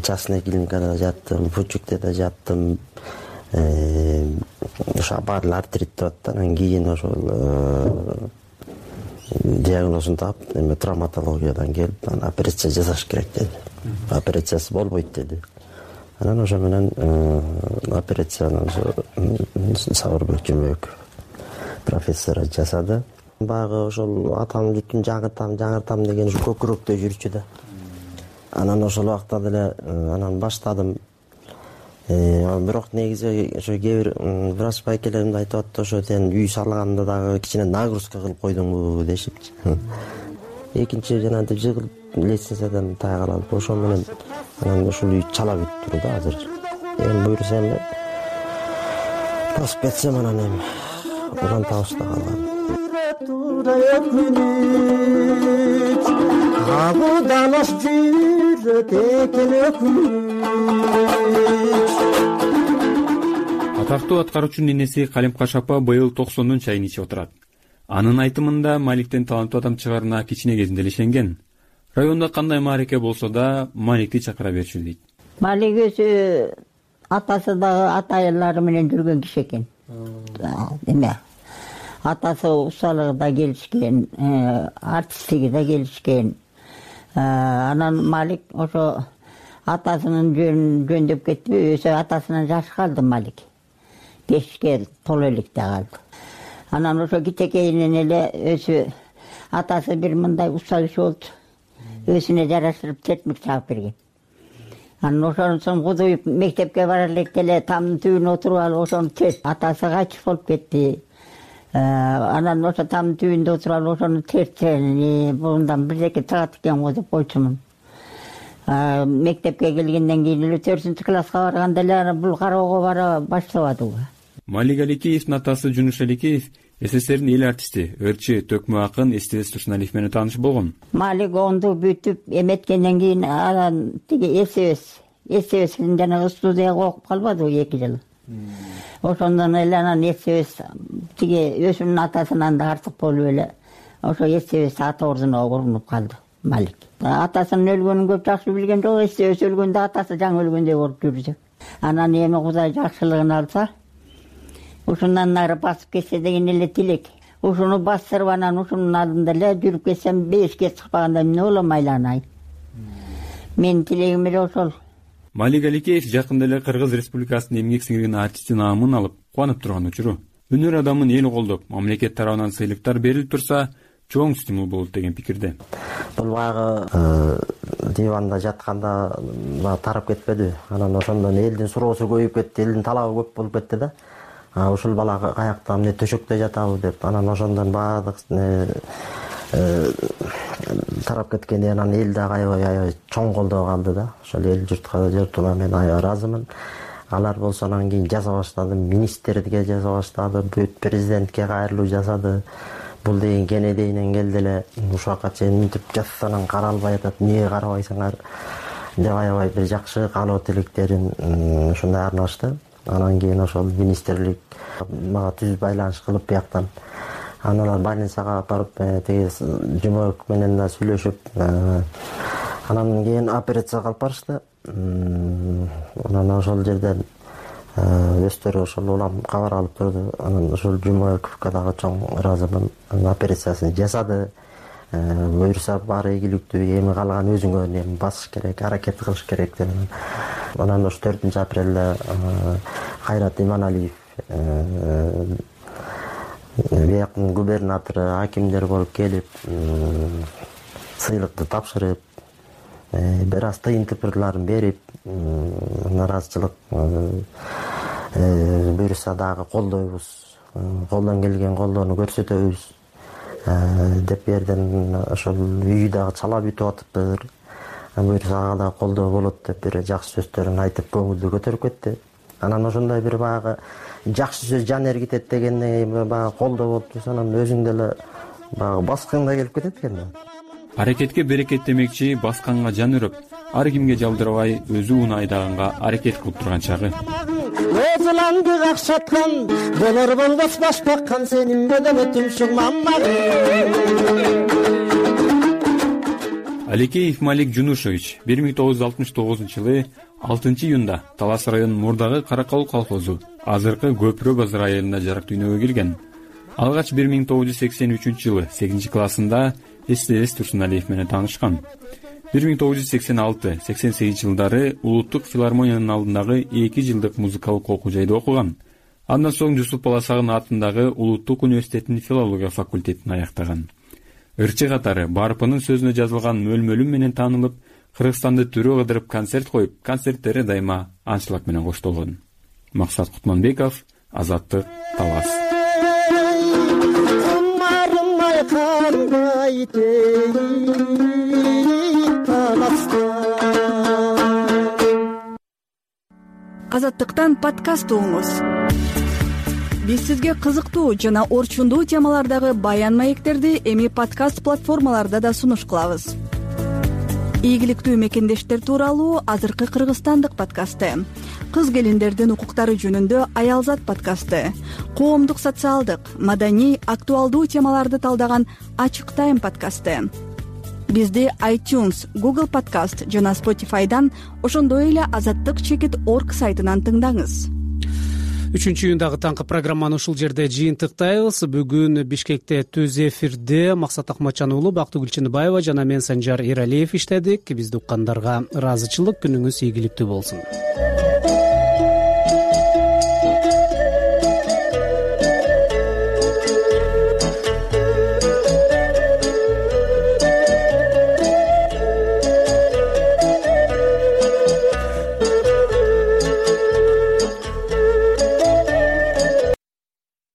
Частный клиникада жаттым, Пучукте да жаттым. Ошо баары артрит деп атты. Анан кийин ошол диагнозун таап, травматологиядан келип, операция жасаш керек деди. Операциясы болбойт деди. Анан ошо менен операцияны Сабырбек Жумбеков профессор жасады. Баягы ошол атамдын бүтүн жаңыртам деген ушу көкүрөктө жүрчү да. Анан ошол убакта деле анан баштадым. Бирок негизи ошо кээ бир врач байкелерим да айтып атты, ошо сен үй салганда дагы кичине нагрузка кылып койдуңбу дешипчи. Экинчи жанагынтип жыгылып лестницадан тая калып, ошо менен анан ушул үй чала бүтүп турду азыр. Эми буюрса эми басып кетсем анан эми уран табышта калган. Абудалаш жүрөт экен өкүнүч. Атактуу аткаруучунун энеси Калемкаш апа быйыл 90 чайын ичип отурат. Анын айтымында Маликтен таланттуу адам чыгарына кичине кезинде эле ишенген. Районда кандай маареке болсо да Маликти чакыра берчү дейт. Малик өзү атасы дагы ата аяллары менен жүргөн киши экен. Эме атасы усталыгы келишкен, артисттиги да келишкен. Анан Малик ошо атасынын жөндөп кетти, өзү атасынан жаш калды Малик. 5-ке толо электе калды. Анан ошо кичекейинен эле өзү атасы бир мындай устал киши болду. Өзүнө жараштырып тертмик чагып берген. Анан ошону соң кудуйуп мектепке бара электе эле тамдын түбүнө отуруп алып ошону атасы кайтыш болуп кетти. Анан ошо тамдын түбүндө отуруп алып ошону тертсен, мындан бирдеке тыгат экен го деп койчумун. Мектепке келгенден кийин эле 4-класска барганда эле бул кароого бара баштабады. Малик Аликеевдин атасы Жунуш Аликеев СССРдин эл артисти, ырчы, төкмө акын Эстебес Турсуналиев менен тааныш болгон. Малик 10-ду бүтүп эметкенден кийин анан тиги Эстебестин жанагы студияга окуп калбадыбы 2 жыл. Ошондон эле анан Эстебес тиги өзүнүн атасынан да артык болуп эле ошо Эстебес ата ордуна урунуп калды Малик. Атасынын өлгөнүн көп жакшы билген жок, Эстебес өлгөндө атасы жаңы өлгөндөй болуп жүрдү. Анан эми Кудай жакшылыгын алса, ушундан нары басып кетсе деген эле тилек. Ушуну бастырып анан ушунун алдында эле жүрүп кетсем 5-ке чыкпаганда эмне болом айланай. Менин тилегим эле ошол. Малик Аликеев жакында эле Кыргыз Республикасынын эмгек сиңирген артисти наамын алып, кубанып турган учуру. Өнөр адамын эл колдоп, мамлекет тарабынан сыйлыктар берилип турса, чоң стимул болот деген пикирде. Бул баягы диванда жатканда тарап кетпеди. Анан ошондон элдин суроосу көбөйүп кетти, элдин талабы көп болуп кетти да. Ушул бала каякта эмне төшөктө жатабы деп, анан ошондон баардык тарап кеткенде анан эл дагы аябай чоң колдоо калды да. Ошол эл журтуна мен аябай ыраазымын. Алар болсо анан кийин жаза баштады, министрге жаза баштады, бүт президентке кайрылуу жасады. Бул деген кенедейинен келди эле, ушуга чейин мынтип жасанан каралбай атат, эмнеге карабайсыңар деп аябай бир жакшы каалоо тилектерин ушундай арнашты. Анан кийин ошол министрлик мага түз байланыш кылып бияктан аналар больницага барып тиги Жумабек менен да сүйлөшүп, анан кийин операцияга алып барышты. Анан ошол жерден өздөрү ошол улам кабар алып турду. Анан ошол Жумабековго дагы чоң ыраазымын. Операциясын жасады. Буюрса баары ийгиликтүү, эми калган өзүңө эми басыш керек, аракет кылыш керек деп. Анан ошо 4-апрелде Кайрат Иманалиев бияктын губернатору, акимдер болуп келип, сыйлыкты тапшырып, бир аз тыйынтыпырларын берип, нааразычылык буюрса дагы колдойбуз, колдон келген колдоону көрсөтөбүз деп берден ошол үй дагы чала бүтүп атыптыр. Буюрса ага да колдоо болот деп бир жакшы сөздөрүн айтып көңүлдү көтөрүп кетти. Анан ошондой бир баягы жакшы сөз жан эргитет дегендей баягы колдоо болуп турса, анан өзүң деле баягы баскың да келип кетет экен да. Аракетке берекет демекчи, басканга жан өрөп, ар кимге жалдырбай өзү унаа айдаганга аракет кылып турган чагы. Өзүланды какшаткан болор болбос баш баккан сенин бөлөмө түмшүк маммагым. Аликеев Малик Жунушевич 1969-жылы 6-июнда Талас район Мурдагы Каракалуу колхозу, азыркы Көпүрө базар айылында жарык дүйнөгө келген. Алгач 1983-жылы 8 классында СТС Турсуналиев менен таанышкан. 1986-88 жылдары Улуттук филармониянын алдындагы 2 жылдык музыкалык окуу жайда окуган. Андан соң Жусуп Баласагын атындагы Улуттук университеттин филология факультетин аяктаган. Ырчы катары Барпынын сөзүнө жазылган мөлмөлүм менен таанылып, Кыргызстанды түрө кыдырып концерт коюп, концерттери дайыма анчлаг менен коштолгон. Максат Кутманбеков, Азаттык, Талас. Азаттыктан подкаст угуңуз. Биз сизге кызыктуу жана орчундуу темалардагы баян маектерди эми подкаст платформаларда да сунуш кылабыз. Ийгиликтүү мекендештер тууралуу азыркы кыргызстандык подкасты, кыз келиндердин укуктары жөнүндө Аялзат подкасты, коомдук социалдык, маданий, актуалдуу темаларды талдаган Ачык Тайм подкасты. Бизди iTunes, Google Podcast жана Spotify'дан, ошондой эле azattyk.org сайтынан тыңдаңыз. 3-июндагы таңкы программаны ушул жерде жыйынтыктайбыз. Бүгүн Бишкекте түз эфирде Максат Акматжан уулу, Бактыгүл Чыныбаева жана мен Санжар Эралиев иштедик. Бизди уккандарга ыраазычылык, күнүңүз ийгиликтүү болсун.